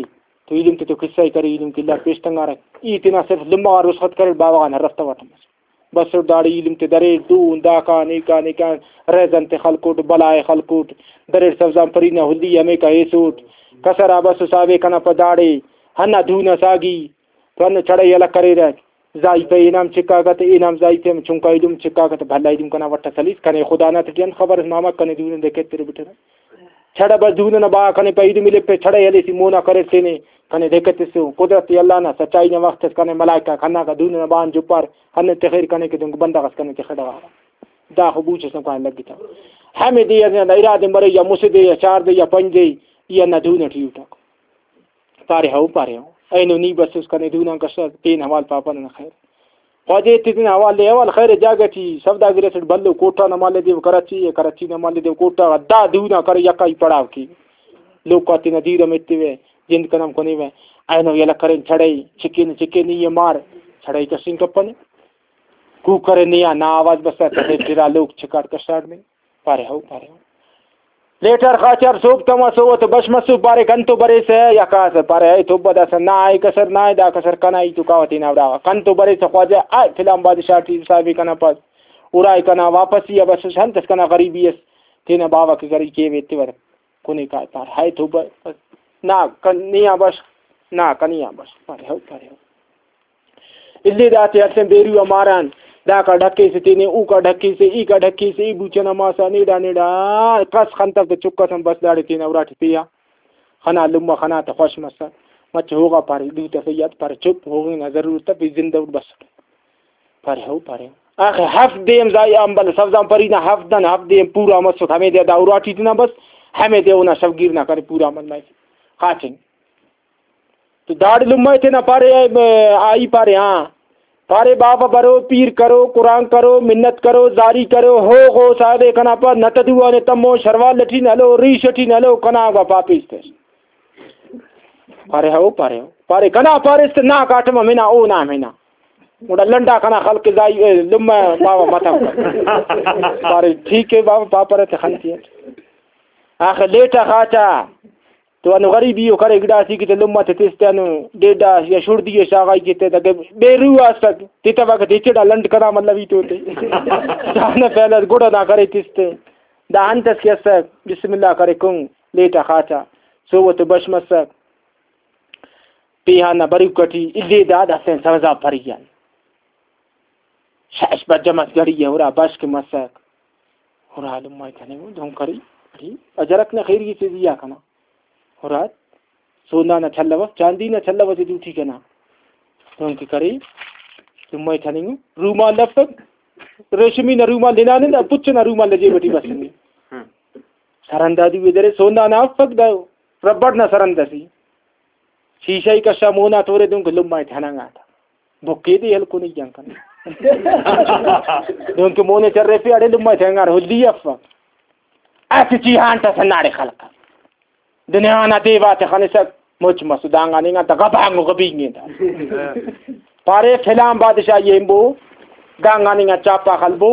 تو ایلم تے تو قصہ ء کرے، ایلم کلار پیش تنگارہ۔ ای تینا صرف لمہ غا رخصت کرے، بابا غان ہر رفتہ واٹمس۔ بسٹ داڑے ایلم تے دریر، دون داکان ایکان ایکان ریزن تے خلکوٹ، بلائے خلکوٹ، دریر سبزان پری نا ہلی ہمیکا ایسوٹ۔ کسر آ بس صاحب ءِ کنا پہ داڑے ہندا دون آ ساگی تو ہندن چڑہ یلہ کریرہ۔ زائی پہ اینام چکاکہ تہ، اینام زائی پہ چنکا ایلم چکاکہ تہ، بھلا ایلم کنا وٹ ئس ہلیس۔ کنے خدا نا تیٹی انت خبر ئس ماما، کنے دون دے کتر بٹرہ۔ چڑہ بس دون ئنا با کنے پہ ایلم الپہ، چڑہ ہلیسی مونا کریر تینے، کنے دے کتسو۔ قدرت اللہ نا سچائی نا وخت ئس کنے ملائکہ آک ہنداکا دون ئنا بان جپار، ہندن تخیر کنے کہ دنکہ بندغ ئس کنے تخڑہ۔ داخو بوچ ئس نم کنے لگتو۔ ہمے دے ئنا ارا دے مرے یا مسہ دے یا چار دے یا پنچ دے، ای ہندا دون ئٹی اٹک۔ پارے ہو، پارے ہو۔ اینو نی بسوس کنے دون آن کشہ، پین حوال پاپہ ننا خیر۔ خواجہ ایتے تینا حوال دے، حوال خیر جاگہ ٹی سوداگر اسٹ بھلو کوٹہ نا مالدیو کراچی ءِ، کراچی نا مالدیو کوٹہ غا دا دون آ کرے یکائی پڑاو کیوہ۔ لوک آ تینا دیر ہم ایتیوہ، جند کن ہم کنیوہ۔ اینو یلہ کرین چڑہ ءِ، چکین چکین ای ءِ مار، چڑہ ءِ کسنگ کپنے۔ کوکر نے آ نا آواز بسا تخے پھرا لوک چکاٹ کشاٹ نے۔ پارے ہو، پارے ہو۔ لیٹر خاچار سوب تما سوت بش مسو پارے کنتو بریسہ یا کاسہ پارے اے توبہ داسہ نا اے کسر نا اے دا کسر کنا ای تو کاوہ تینا اڑا کنتو بریسہ خواجہ آ فلان بادشاہ ٹی صاحب کنا پاس ارائے کنا واپسی آ بس ہنتس کنا غریبی اس تینا باوہ کہ غریب کیوے تیور کنے کا پار ہائے توبہ نا کن نیا بش نا کنیا بش پارے ہو پارے ہو۔ الی داتے ہڑسن بیرو آ ماران، داکا ڈھکیسے تینے، اوکا ڈھکیسے، ایکا ڈھکیسے، ای بوچنا ماسا نیڑا نیڑا کس خنتو تہ چک ئس ہم بس داڑے تینا اراٹی پیا خنا لمہ خنا تہ خوش مسر۔ مچہ ہوغا پارے، دو تفیات پارے، چپ ہوغنگ نا ضرورت تفی زندہ اٹ بسٹ۔ پارے ہو، پارے ہو۔ آخر ہفت دے ہم زائی آن بل سبزان پری نا ہفت دن ہفت دے ہم پورا مسٹ، ہمے دے دا اراٹی تینا بس، ہمے دے اونا شوگیر نا کرے پورا عمل مریک۔ خاچنگ۔ تو داڑے لمہ ءِ تینا پارے، آئی پارے، ہاں۔ پارے، بابا برو، پیر کرو، قرآن کرو، منت کرو، زاری کرو، ہو غو صاحب ءِ کنا پاس نت دو آنے تمو، شروال ٹی نلو، ریش ٹی نلو، کنا گوا پاپیس تس۔ پارے، ہو، پارے، ہو۔ پارے، کنا پاریس تہ نا کاٹم ہمینا، او نا ہمینا۔ گڑا لنڈا کنا خلق زائی، اے، لمہ بابا متو۔ پارے، ٹھیک ہے بابا، پاپرہ تہ خنتی اٹ۔ آخر لیٹا خاچا۔ تو ہندن غریبی ءِ کرے گڑاسی کہ تہ لمہ تے تس تہ ہندن ڈیڈا یا شڑدی ءِ شاغائی کہ تہ دگہ بے روح اس تک تتوکہ تہ ہچڑا لنڈ کنا مطلب ہیت ہوتے۔ دانا پہلے گڑا نا کرے تس تہ دا انت اس کہ اسک بسم اللہ کرے کن لیٹا خاچا سوت بش مسک۔ پیہان نا بروک ٹی الی دا داسہ سوزا پری آن شش بجہ مس گھڑی ءِ ہرا بش کہ مسک۔ ہرا لمہ ءِ تننگو دہن کری، اڑے اجرک نا خیری سے زیا کنا۔ ہرا سونا نا چھلہ اف، چاندی نا چھلہ اسے دوٹی کنا۔ دہن کہ کرے، لمہ ءِ تننگو، رومال افک، ریشمی نا رومال ہنانے دا پچ نا رومال نا جیب ٹی بسنے۔ سرندا دوے درے، سونا نا افک دا ربڑ نا سرند اسے۔ شیشہ ءِ کشا مونا تورے دہن کہ لمہ ءِ تننگا تا۔ بھکے دے ہلکنے جنگ کنے۔ دہنکہ مونے چرفے اڑے لمہ ءِ تنگار ہلی افک۔ اسہ چیہان تا سناڑے خلق۔ دنیا نا دیواتے خنسک مچ مسو دانگان انگا تا غبانگو غبینگے تا۔ پارے فلان بادشاہ یہ امبو دانگان انگا چاپا خلبو۔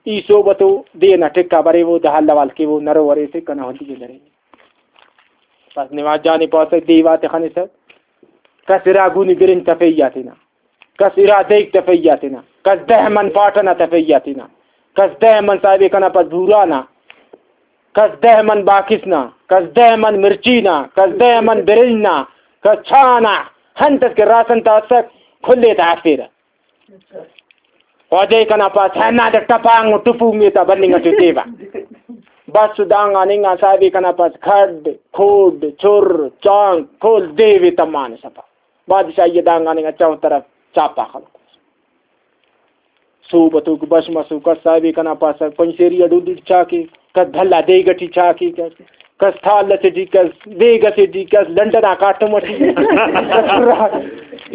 ای صحبتو دے نا ٹکا بریوو دا حل حوال کیوو نرو وریسے کنا ہلی درے۔ بس نماز جانے پاسہ دیواتے خنسہ، کس ارا گونی برنج تفیہ تینا، کس ارا دیگ تفیہ تینا، کس دہ من پاٹہ نا تفیہ تینا، کس دہ من صاحب کنا پد بورا نا، کس دہ من باکس نا، کس دہ من مرچی نا، کس دہ من برنج نا، کس چا نا، ہنتس کہ راسن تا اسک کھلے تا ہرفیرہ۔ خواجہ کنا پاس ہندا ٹپانگ و ٹپونگ تا بننگ ٹی تیوہ۔ بس دانگان انگا صاحب کنا پاس کھڈ، کھوڈ، چر، چانک، کل دیوے تمانے سفا۔ بادشاہی دانگان انگا چون طرف چاپا خلق۔ صحبتوک بش مسو، کس صاحب کنا پاس پنچ سیری ڈوڈی چاکے۔ کس بھلا دیگ ٹی چاکے، کس، کس تھال اسے ٹی، کس دیگ اسے ٹی، کس لنڈ نا کاٹم ٹی، کس چھرا،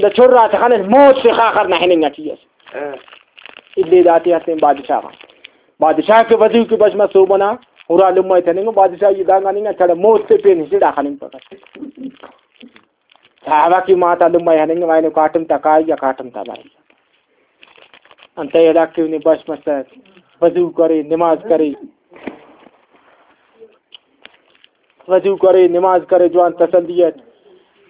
دا چھرا تے خنس موت سے خاخر نا ہننگ ٹی اس۔ الی داتے ہستین بادشاہ غا۔ بادشاہ کے وزیر کے بش مسو بنا، ہرا لمہ تننگو، بادشاہ یہ دانگا ننگا چڑہ موت تے پین ہسڑا خننگ پکا۔ صحابہ کی ماتا لمہ ہننگ، وائنو کاٹم تا کائی یا کاٹم تا بائی۔ انتئے ادا کہ نے بش مسک، وضو کرے، نماز کرے، وضو کرے، نماز کرے، جوان تسلی اٹ۔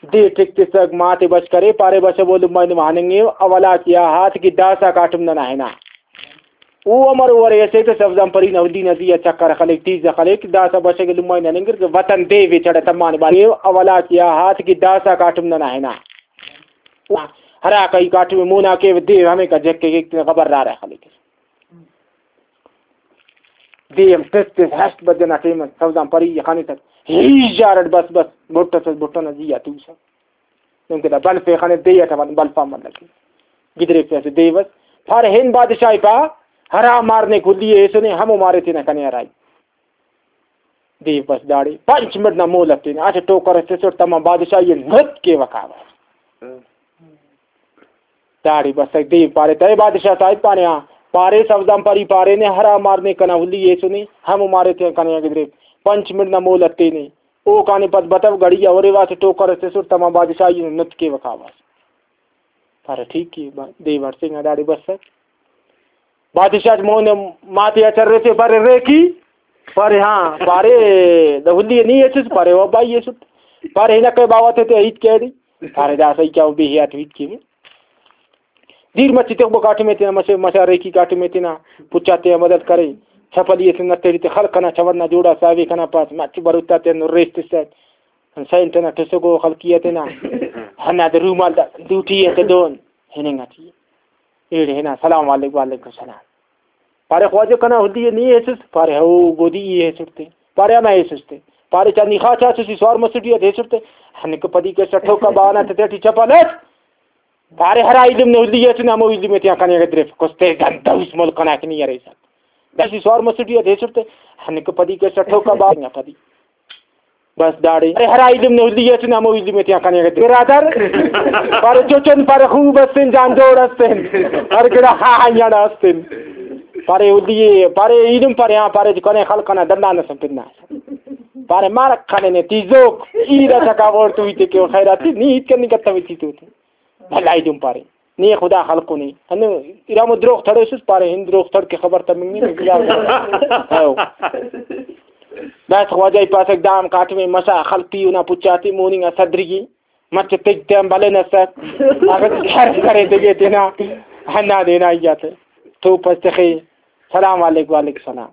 دے ٹک تسک، ماتے بش کرے، پارے بشہ بولم مائی نما ہننگے، اولا کہ آ ہات کہ داسا کاٹم ننا ہنا۔ او امر ورے اسے تہ سبزان پری نا ہلی نا زی آ چکر خلیک، تیز خلیک، داسا بشہ کہ لمائی نننگر کہ وطن دے وے چڑہ تمانے بارے، اولا کہ آ ہات کہ داسا کاٹم ننا ہنا۔ ہرا کئی کاٹم مونا کیو دے ہمیکا جک کیک تینا خبر رارہ خلیک۔ دے ہم تس تس ہشت بجہ نا ٹائم اس، سوزان پری ءِ خنسہ، ہی ژارٹ بس بس، بھٹ اس، بھٹ ئنا زی آ توسہ۔ دنکہ دا بلف ءِ خنے دے اٹ ہم بلف آن ملک۔ گدریفے اسہ دے بس۔ پارے ہن بادشاہ ءِ پا، ہرا مار نے کلی ءِ ایسنے، ہمو مارے تینا کنے ہرائی۔ دے بس داڑے پنچ منٹ نا مہلت تینے، اسہ ٹوکر اس تسٹ تما بادشاہی ءِ نت کیوہ کاوہ۔ داڑے بسک دے پارے، تہ بادشاہ صاحب پانے آ، پارے سوزان پری پارینے، ہرا مار نے کنا ہلی ایسنے، ہمو مارے تیان کنے آ گدرے، پنچ منٹ نا مہلت تینے۔ اوکانے پد بتو گڑی آ ہورے واسہ ٹوکر اس تسٹ تما بادشاہی نا نت کیوہ کاوہ۔ پارے ٹھیک ءِ، با-، دے وڑسینگا داڑے بسک۔ بادشاہ مون ماتے آ چرفے، پارے ریکی، پارے ہاں، پارے دا ہلی نی ایسس، پارے او بائی ایسٹ، پارے ہنکہ باوہ تے ہیت کیڑی، پارے دا سہی کیا بے حیات ہیت کیوہ۔ دیر مچے تخبو کاٹمے تینا، مچے مچا ریکی کاٹمے تینا، پچا تینا مدد کرے۔ چھپلی اسے نتیڑی تے خلق کنا چوڑ نا جوڑا ساوے کنا پاس، مچے بروتا تینا ریس تسک۔ سینٹ ئنا ٹسکو خلقی ءِ تینا۔ ہندا رومال دا دوٹی ءِ تے دون ہننگ ٹی۔ ایڑے ہنا سلام علیک، وعلیکم السلام۔ پارے خواجہ کنا ہلی ءِ نی ایسس؟ پارے ہو گودی ای ایسٹ تے۔ پارے ہمہ ایسس تے۔ پارے چا نی خاچا چسی سوار مسٹی ات ایسٹ تے۔ ہنکہ پدی کسہ ٹھوکا بانا تے تیٹی چپل اس۔ پارے ہرا ایلم نے ہلی ایسنے ہمو ایلم ءِ تیان کنے گدریف، کستے گندوس ملک ئنا کہ نی ارے سک۔ داسی سوار مسٹی ات ایسٹ تے، ہنکہ پدی کسہ ٹھوکا بانا پدی۔ بس داڑے ارے ہرا ایلم نے ہلی ایسنے ہمو ایلم ءِ تیان کنے گدریف۔ برادر پارے چوچن، پارے خوب استن، جان جوڑ استن، ہر گڑا ہا ہا یڑا استن۔ پارے ہلی ءِ، پارے ایلم، پارے ہاں، پارے کنے خلق ئنا دنان اس پنا۔ پارے مارک خننے تیزوک، ای دا چکا غور تو ایتے کہ خیراتی نی ہیت کنی کتوی تی تو۔ بھلا ایدن پارے، نی خدا خلقنے۔ ہندن ارا مو دروغ تھڑوسس؟ پارے، ہن دروغ تھڑ کہ خبر تمنگ نے۔ ہو۔ بس خواجہ ای پاسک دام کاٹمے مسا خلق تی اونا پچاتے موننگ آ صدری مچ تیج تیان بلن اسک۔ اگہ کر کرے تیگے تینا ہندا دینا ایاتے۔ تو پس تخے۔ سلام علیک، وعلیک سلام۔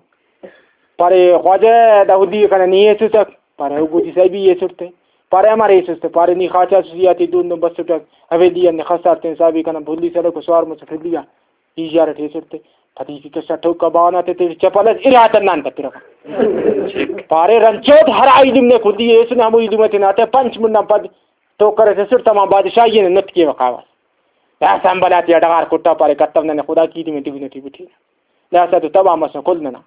پارے، خواجہ، دا ہلی کنا نی ایسوسک؟ پارے، او گودی صاحبی ایسٹ تے۔ پارے، امر ایسٹ تے؟ پارے، نی خاچا سوسی آتے دون دون بسٹک، حویلی آن خسار تین صاحبی کنا بھلی سلوک سوار مسٹ ہلی آ۔ ای یار ٹی ایسٹ تے۔ پدی کی کسا ٹوکا بانا تے تے چپل اس ارا تنان تپرہ۔ پارے، رنچوت ہر ایلم نے کلی ایسن ہمو ایلم تے ناتے پنچ منٹ نا پد ٹوکر اسٹ تمام بادشاہی نے نت کیوہ کاوہ۔ داسہ امبل آتیا ڈغار کٹا پارے، کتو ننے خدا کی ایلم تے دگنہ ٹی بٹی۔ داسہ تو تباہ مسن کل ننا۔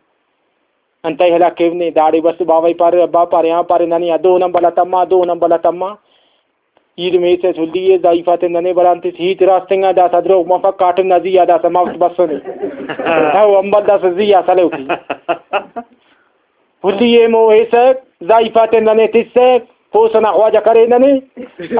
انتئے ہلاک کیو نے؟ داڑے بس باوہ ای پارے، ابا پارے، ہاں پارے، ننے آ دو نمبر آ تما، دو نمبر آ تما۔ ایلم ایسس ہلی ءِ، ضعیف آتے ننے برانتس ہیت راست انگا، داسہ دروغ مفک، کاٹم نا زی آ داسہ مفت بسنے۔ او امبل داسہ زی آ سلوک ای۔ ہلی ایمو ایسک، ضعیف آتے ننے تسک، پوسہ نا خواجہ کرے ننے،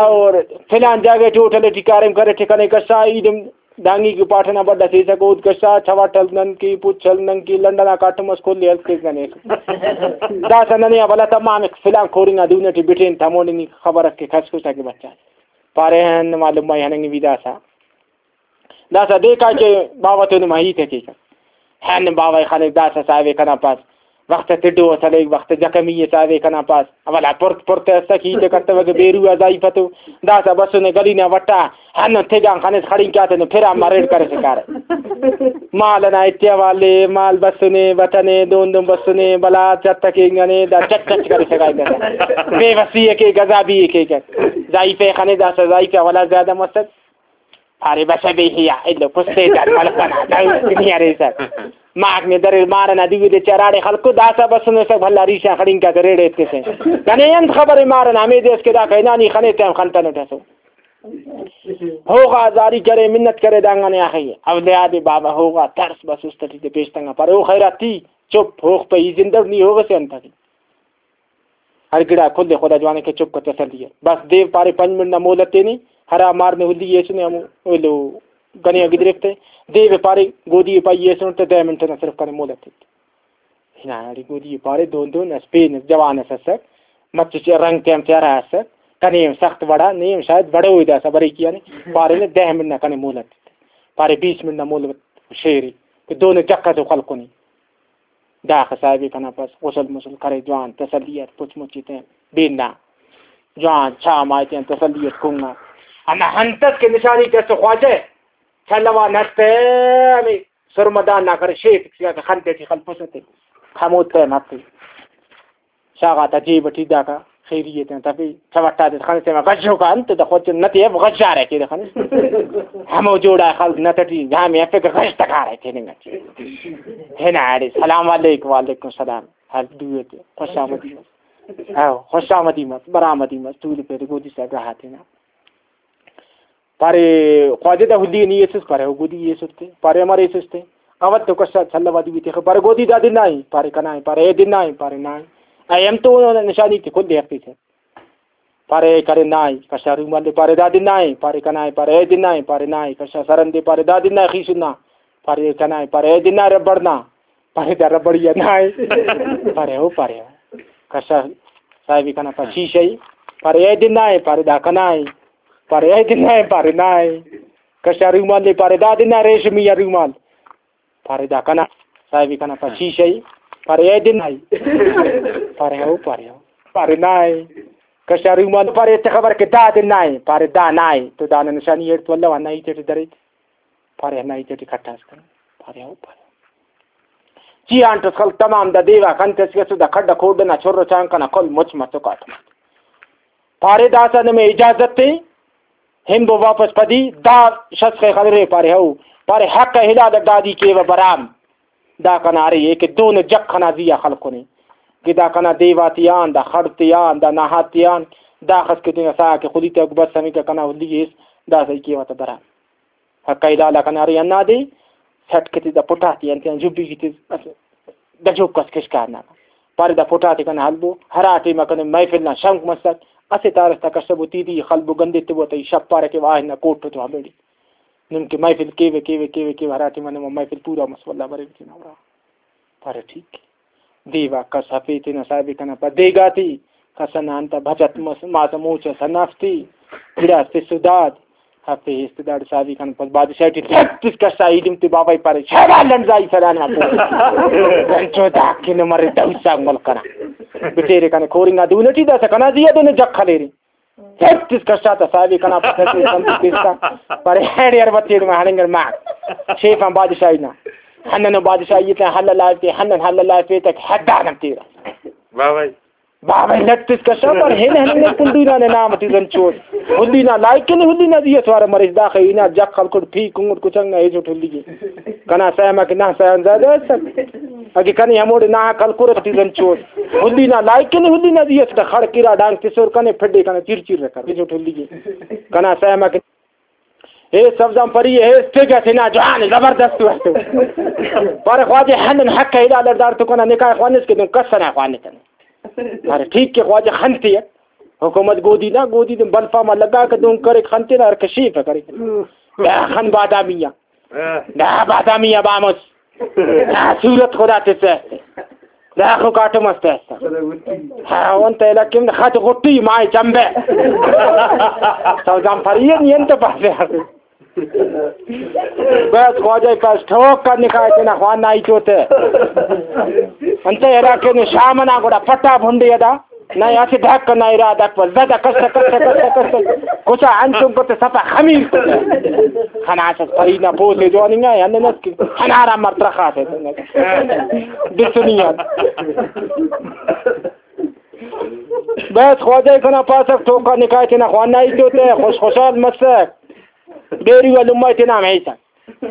اور فلان جاگہ ٹی ہوٹل ٹی کاریم کرے ٹی کنے کسا ایلم دانگی کہ پاٹ ئنا بڈ ئس ایسک، اود کشا، چواٹل نن کہ، پچل نن کہ، لنڈن آ کاٹم ئس، کل ئے ہلک کیک ننے۔ داسہ ننے آ بھلا تمام فلان کورنگ آ دو منٹ بٹین، تمونے نی خبر ئس کہ کس کس آ کہ بچا۔ پارے ہن معلوم مائی ہننگ بی داسہ۔ داسہ دے کائے کہ باوہ تو نما ہیت ءِ کیک۔ ہن باوہ ءِ خنک داسہ صاحب ءِ کنا پاس۔ وخت تڈو اس ہلیک، وخت زخمی اس آوے کنا پاس۔ اولا پرت پرت اسک، ہیت کتوکہ بیرو آ ضعیف تو۔ داسہ بسنے گلی نا وٹا، ہندن تیگان خنس خڑینک آتے نو پھرا مریڑ کرسے کارہ۔ مال ئنا اتیا والے، مال بسنے، بتنے، دون دون بسنے، بلا چٹ کینگنے، دا چٹ چٹ کرسے کائے۔ بے وسی ءِ کیک، عذابی ءِ کیک۔ ضعیف ءِ خنے داسہ ضعیف ءِ ولا زیادہ مسک۔ پارے، بس بے حیا، ایلو کستے دار ملک ئنا، دا دنیا ریسہ۔ ماک نے دریر مار ئنا دیو دے چراڑے خلکو، داسہ بسنو سک بھلا ریشا خڑینکا تے ریڑے ایتکسہ۔ کنے انت خبرے مار ئنا، ہمے دے اس کہ دا کائنا نی خنے ٹائم خنتنٹ اسو۔ ہوغا زاری کرے، منت کرے دانگانے آخی۔ اولیاد بابا ہوغا ترس بس است ٹی تے پیش تنگا پارے، او خیراتی، چپ، ہوغ پہ ای زندہ نی ہوغ سے انت ٹی۔ ہر گڑا کل ءِ خدا جوان ءِ کہ چپ کر تسلی ءِ۔ بس دیو پارے پنچ منٹ نا مہلت تینے، ہرا مار نے ہلی ایسنے ہمو ایلو گنے آ گدریفتے۔ دیو ءِ پارے گودی ءِ پائی ایسن تہ دہ منٹ نا صرف کنے مہلت ایت۔ ہنا اڑے گودی ءِ پارے دون دون اس پین اس جوان اس اسک، مچ چ رنگ تیان پیارا اسک۔ کنے سخت وڑا، نے شاید وڑو داسا بریک یعنی، پارے نے دہ منٹ نا کنے مہلت۔ پارے بیس منٹ نا مہلت شیری، کہ دونو جکھ ئسے خلکنے۔ داخہ صاحب کنا پس غسل مسل کرے، جوان تسلی اٹ پچ مچ ایتن بینا، جوان چا ما ایتن تسلی اٹ کنگا۔ ہندا انت ئس کہ نشانی تس خواجہ چلوا نستے ہمے سرمدان نا کرے شیف خن تیٹی خلپسہ تے ہمو تہ مفے۔ شاغاتا جیب ٹی داکا خیری ایتن تفے، چوٹا دے خن تیما گژوکا انت دا خوچ نتے اف گژارے کیرے خن۔ ہمو جوڑا خلک نت ٹی جامے افے کہ گژ تکارے تیننگ ٹی۔ ہنا اڑے سلام علیکم، وعلیکم السلام۔ ہر دوئے تے خوش آمدی مس۔ ہاں، خوش آمدی مس، برآمدی مس، تولفیرے گودی صاحب راحت ہنا۔ پارے، خواجہ دا ہلی نی ایسس؟ پارے، او گودی ایسس تے۔ پارے، امر ایسس تے؟ اول تو کسا چھلہ وا دوی تخ۔ پارے، گودی دا دن نائی؟ پارے، کنائی؟ پارے، اے دن نائی؟ پارے، نائی۔ اے ہم تو نشانی تے کل دے ہفتے سے۔ پارے، اے کرے نائی؟ کسا رومال دے؟ پارے، دا دن نائی؟ پارے، کنائی؟ پارے، اے دن نائی؟ پارے، نائی۔ کسا سرن دے؟ پارے، دا دن نائی خیسن نا؟ پارے، کنائی؟ پارے، اے دن نائی ربڑ نا؟ پارے، دا ربڑ یا نائی؟ پارے، او پارے، او۔ کسا صاحب کنا پا شیشہ ای؟ پارے، اے دن نائی؟ پارے، دا کنائی؟ پارے، اے دن نائی؟ پارے، نائی۔ کشا رومال دے؟ پارے، دا دن نائی ریشمی آ رومال؟ پارے، دا کنا۔ صاحب کنا پا شیشہ ای؟ پارے، اے دن نائی؟ پارے، او پارے، او۔ پارے، نائی۔ کشا رومال، پارے، تے خبر کہ دا دن نائی؟ پارے، دا نائی۔ تو دانا نشانی ایڑ تو اللہ وانا ہیت ٹی درے۔ پارے، ہندا ہیت ٹی کھٹاس کن۔ پارے، او پارے۔ چی آن ٹس خلک تمام دا دیوا کنتس کہ دا کھڈ کھوڈ نا چھر چانک ئنا کل مچ مچو کاٹم۔ پارے، داسہ نمے اجازت تے، ہنبو واپس پدی، دا شخص خے خلرے؟ پارے، ہو۔ پارے، حق حلال دادی کیوہ برام۔ دا کنا ارے، اے کہ دونو جکھ ئنا زی آ خلکنے کہ دا کنا دیوا تیان، دا خڑ تیان، دا نہاد تیان، داخس کہ تینا ساہ کہ خلی تیوک بس ہمیکا کنا ہلی ایس، دا سہی کیوہ تہ برام۔ حق حلال آ کنا ارے ہندادے سٹ کہ تے دا پٹاتے آن تیان جبی کہ تے اسہ گجوک اس کشکار نا۔ پارے دا پٹاتے کنا ہلبو، ہرا ٹائما کنے محفل نا شنک مسک، اسہ تارس تا کسبو تیدی خلبو گندے تبو تہ ای شپ پارہ کہ واہ نا کوٹ تو ہمیڑے۔ نم کہ محفل کیوہ، کیوہ، کیوہ، کیوہ، ہرا ٹائما نما محفل پورا مس، واللہ بریو تینا ارا۔ پارے ٹھیک۔ دیوا کس ہفے تینا صاحب کنا پا دیگا تے، کس ئنا انت بھجت مس، ماسہ موچ ئس ہنافتے، گڑاس تس و داد۔ ہفے است داڑے صاحب کنا پا بادشاہ ٹی تس کسا ایلم تے بابا ای پارے، شاباش لنڈزائی سلام آ پو۔ انچو دا کن مرے دوسا ملک کنا۔ بٹیرے کنے کورنگا دون ٹی داسا کنا زی آ دون جک خلیرے۔ ہیت اس کشا تا صاحب کنا پتہ سے سمجھ پیستا۔ پر ہیڈ یار بتیڑ ما ہنگر ما۔ شیفان بادشاہی نا۔ ہنن بادشاہی تے حل لائف تے، ہنن حل لائف تے تک حد آنم تیرا۔ واہ بھائی۔ واہ بھائی، لٹ اس کشا پر ہن ہنن کنڈو نا نام تی رنچوس۔ ہلی نا لائک نے ہلی نا دی سوار مریض دا خینا جک خلکڑ پھی کنگڑ کچنگ نا ایجو ٹھلی۔ کنا سیما کہ نا سیان زیادہ است۔ اگہ کنے ہموڑے نا کلکرہ ٹی رنچوس۔ ہلی نا لائک کنے ہلی نا دی اس خڑ کرا ڈانگ تسور کنے پھڈے کنے چیر چیر رکھر۔ جو ٹھلی گے۔ کنا سیما کہ اے سبزان پری اے اسٹیج اسے نا جوان زبردست واسطے۔ پر خواجہ ہندن حق ہے لا لڑدار تو کنا نکاح خوانس کہ دن کس نہ خوانس۔ ارے ٹھیک کہ خواجہ خنتے۔ حکومت گودی نا، گودی دن بلفا ما لگا کہ دن کرے خنتے نا ہر کشی پہ کرے۔ خن بادامی آ۔ دا بادامی آ بامس۔ دا صورت خدا تسہ۔ دا خو کاٹم است است۔ ہاں، انت علاقے میں خط غٹی مائے چمبے۔ تو جام پریے نہیں انت پاسے۔ بس خواجہ پاس ٹھوک کر نکائے تینا خوان نائی چوتے۔ انت علاقے میں شام نا گڑا پٹا بھنڈی ادا۔ نہ اسہ ڈھک نہ ارا ڈھک پر زدہ کس کس کس کس کس کچا انچن کت سفا خمیر کت۔ خناس پری نا پوسے جواننگا ہننس کہ ہنارا مرترخا سے بسنی آن۔ بس خواجہ کنا پاسک ٹوکا نکاح تینا خوانائی تو تے خوش خوشحال مسک۔ بیری و لمہ تینا ہمیسک۔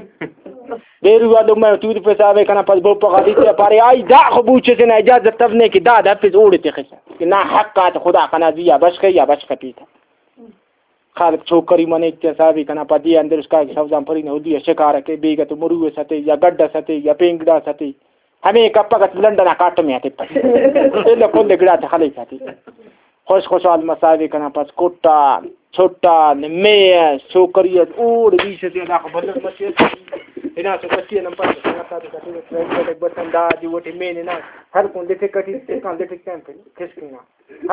بیرو آ لمہ ٹور پساوے کنا پس بوپہ غادی تے پارے، آئی دا خو بوچ سے نا اجازت تفنے کہ دا دفس اوڑے تخسا کہ نا حق آت خدا کنا زی آ بشخے یا بشخ پیتا۔ خالق چھوکری منے تے صاحبی کنا پدی اندر اس کا سوزان پری نہ ہدی شکار کے بیگہ تو مرو ستے یا گڈ ستے یا پینگڑا ستے۔ ہمے کپک اس لنڈن آ کاٹمے آ تپک۔ ایلو کل گڑا تے خلیک آتے۔ خوش خوشحال مساوی کنا پس کٹان، چھٹان، مے اس، چھوکری اس، اوڑ بیش سے ادا خو بلک مچے۔ ہنا سو کچی نمبر سنگت آتے کٹی ٹریکٹر بسن دا جی وٹی مین ہنا ہلکون لٹک کٹی تکان لٹک ٹائم پہ کھسکنا۔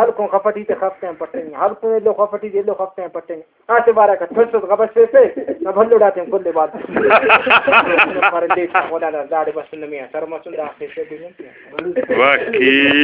ہلکون خفٹی تے خف ٹائم پٹنگ، ہلکون ایلو خفٹی تے ایلو خف ٹائم پٹنگ۔ آتے بارہ کا تھسس غبس سے سے، نہ بھلو ڈاتے کل بات۔ پر دے مولانا داڑے بس نمیا سر مسن دا خیسے بھی۔ واقعی۔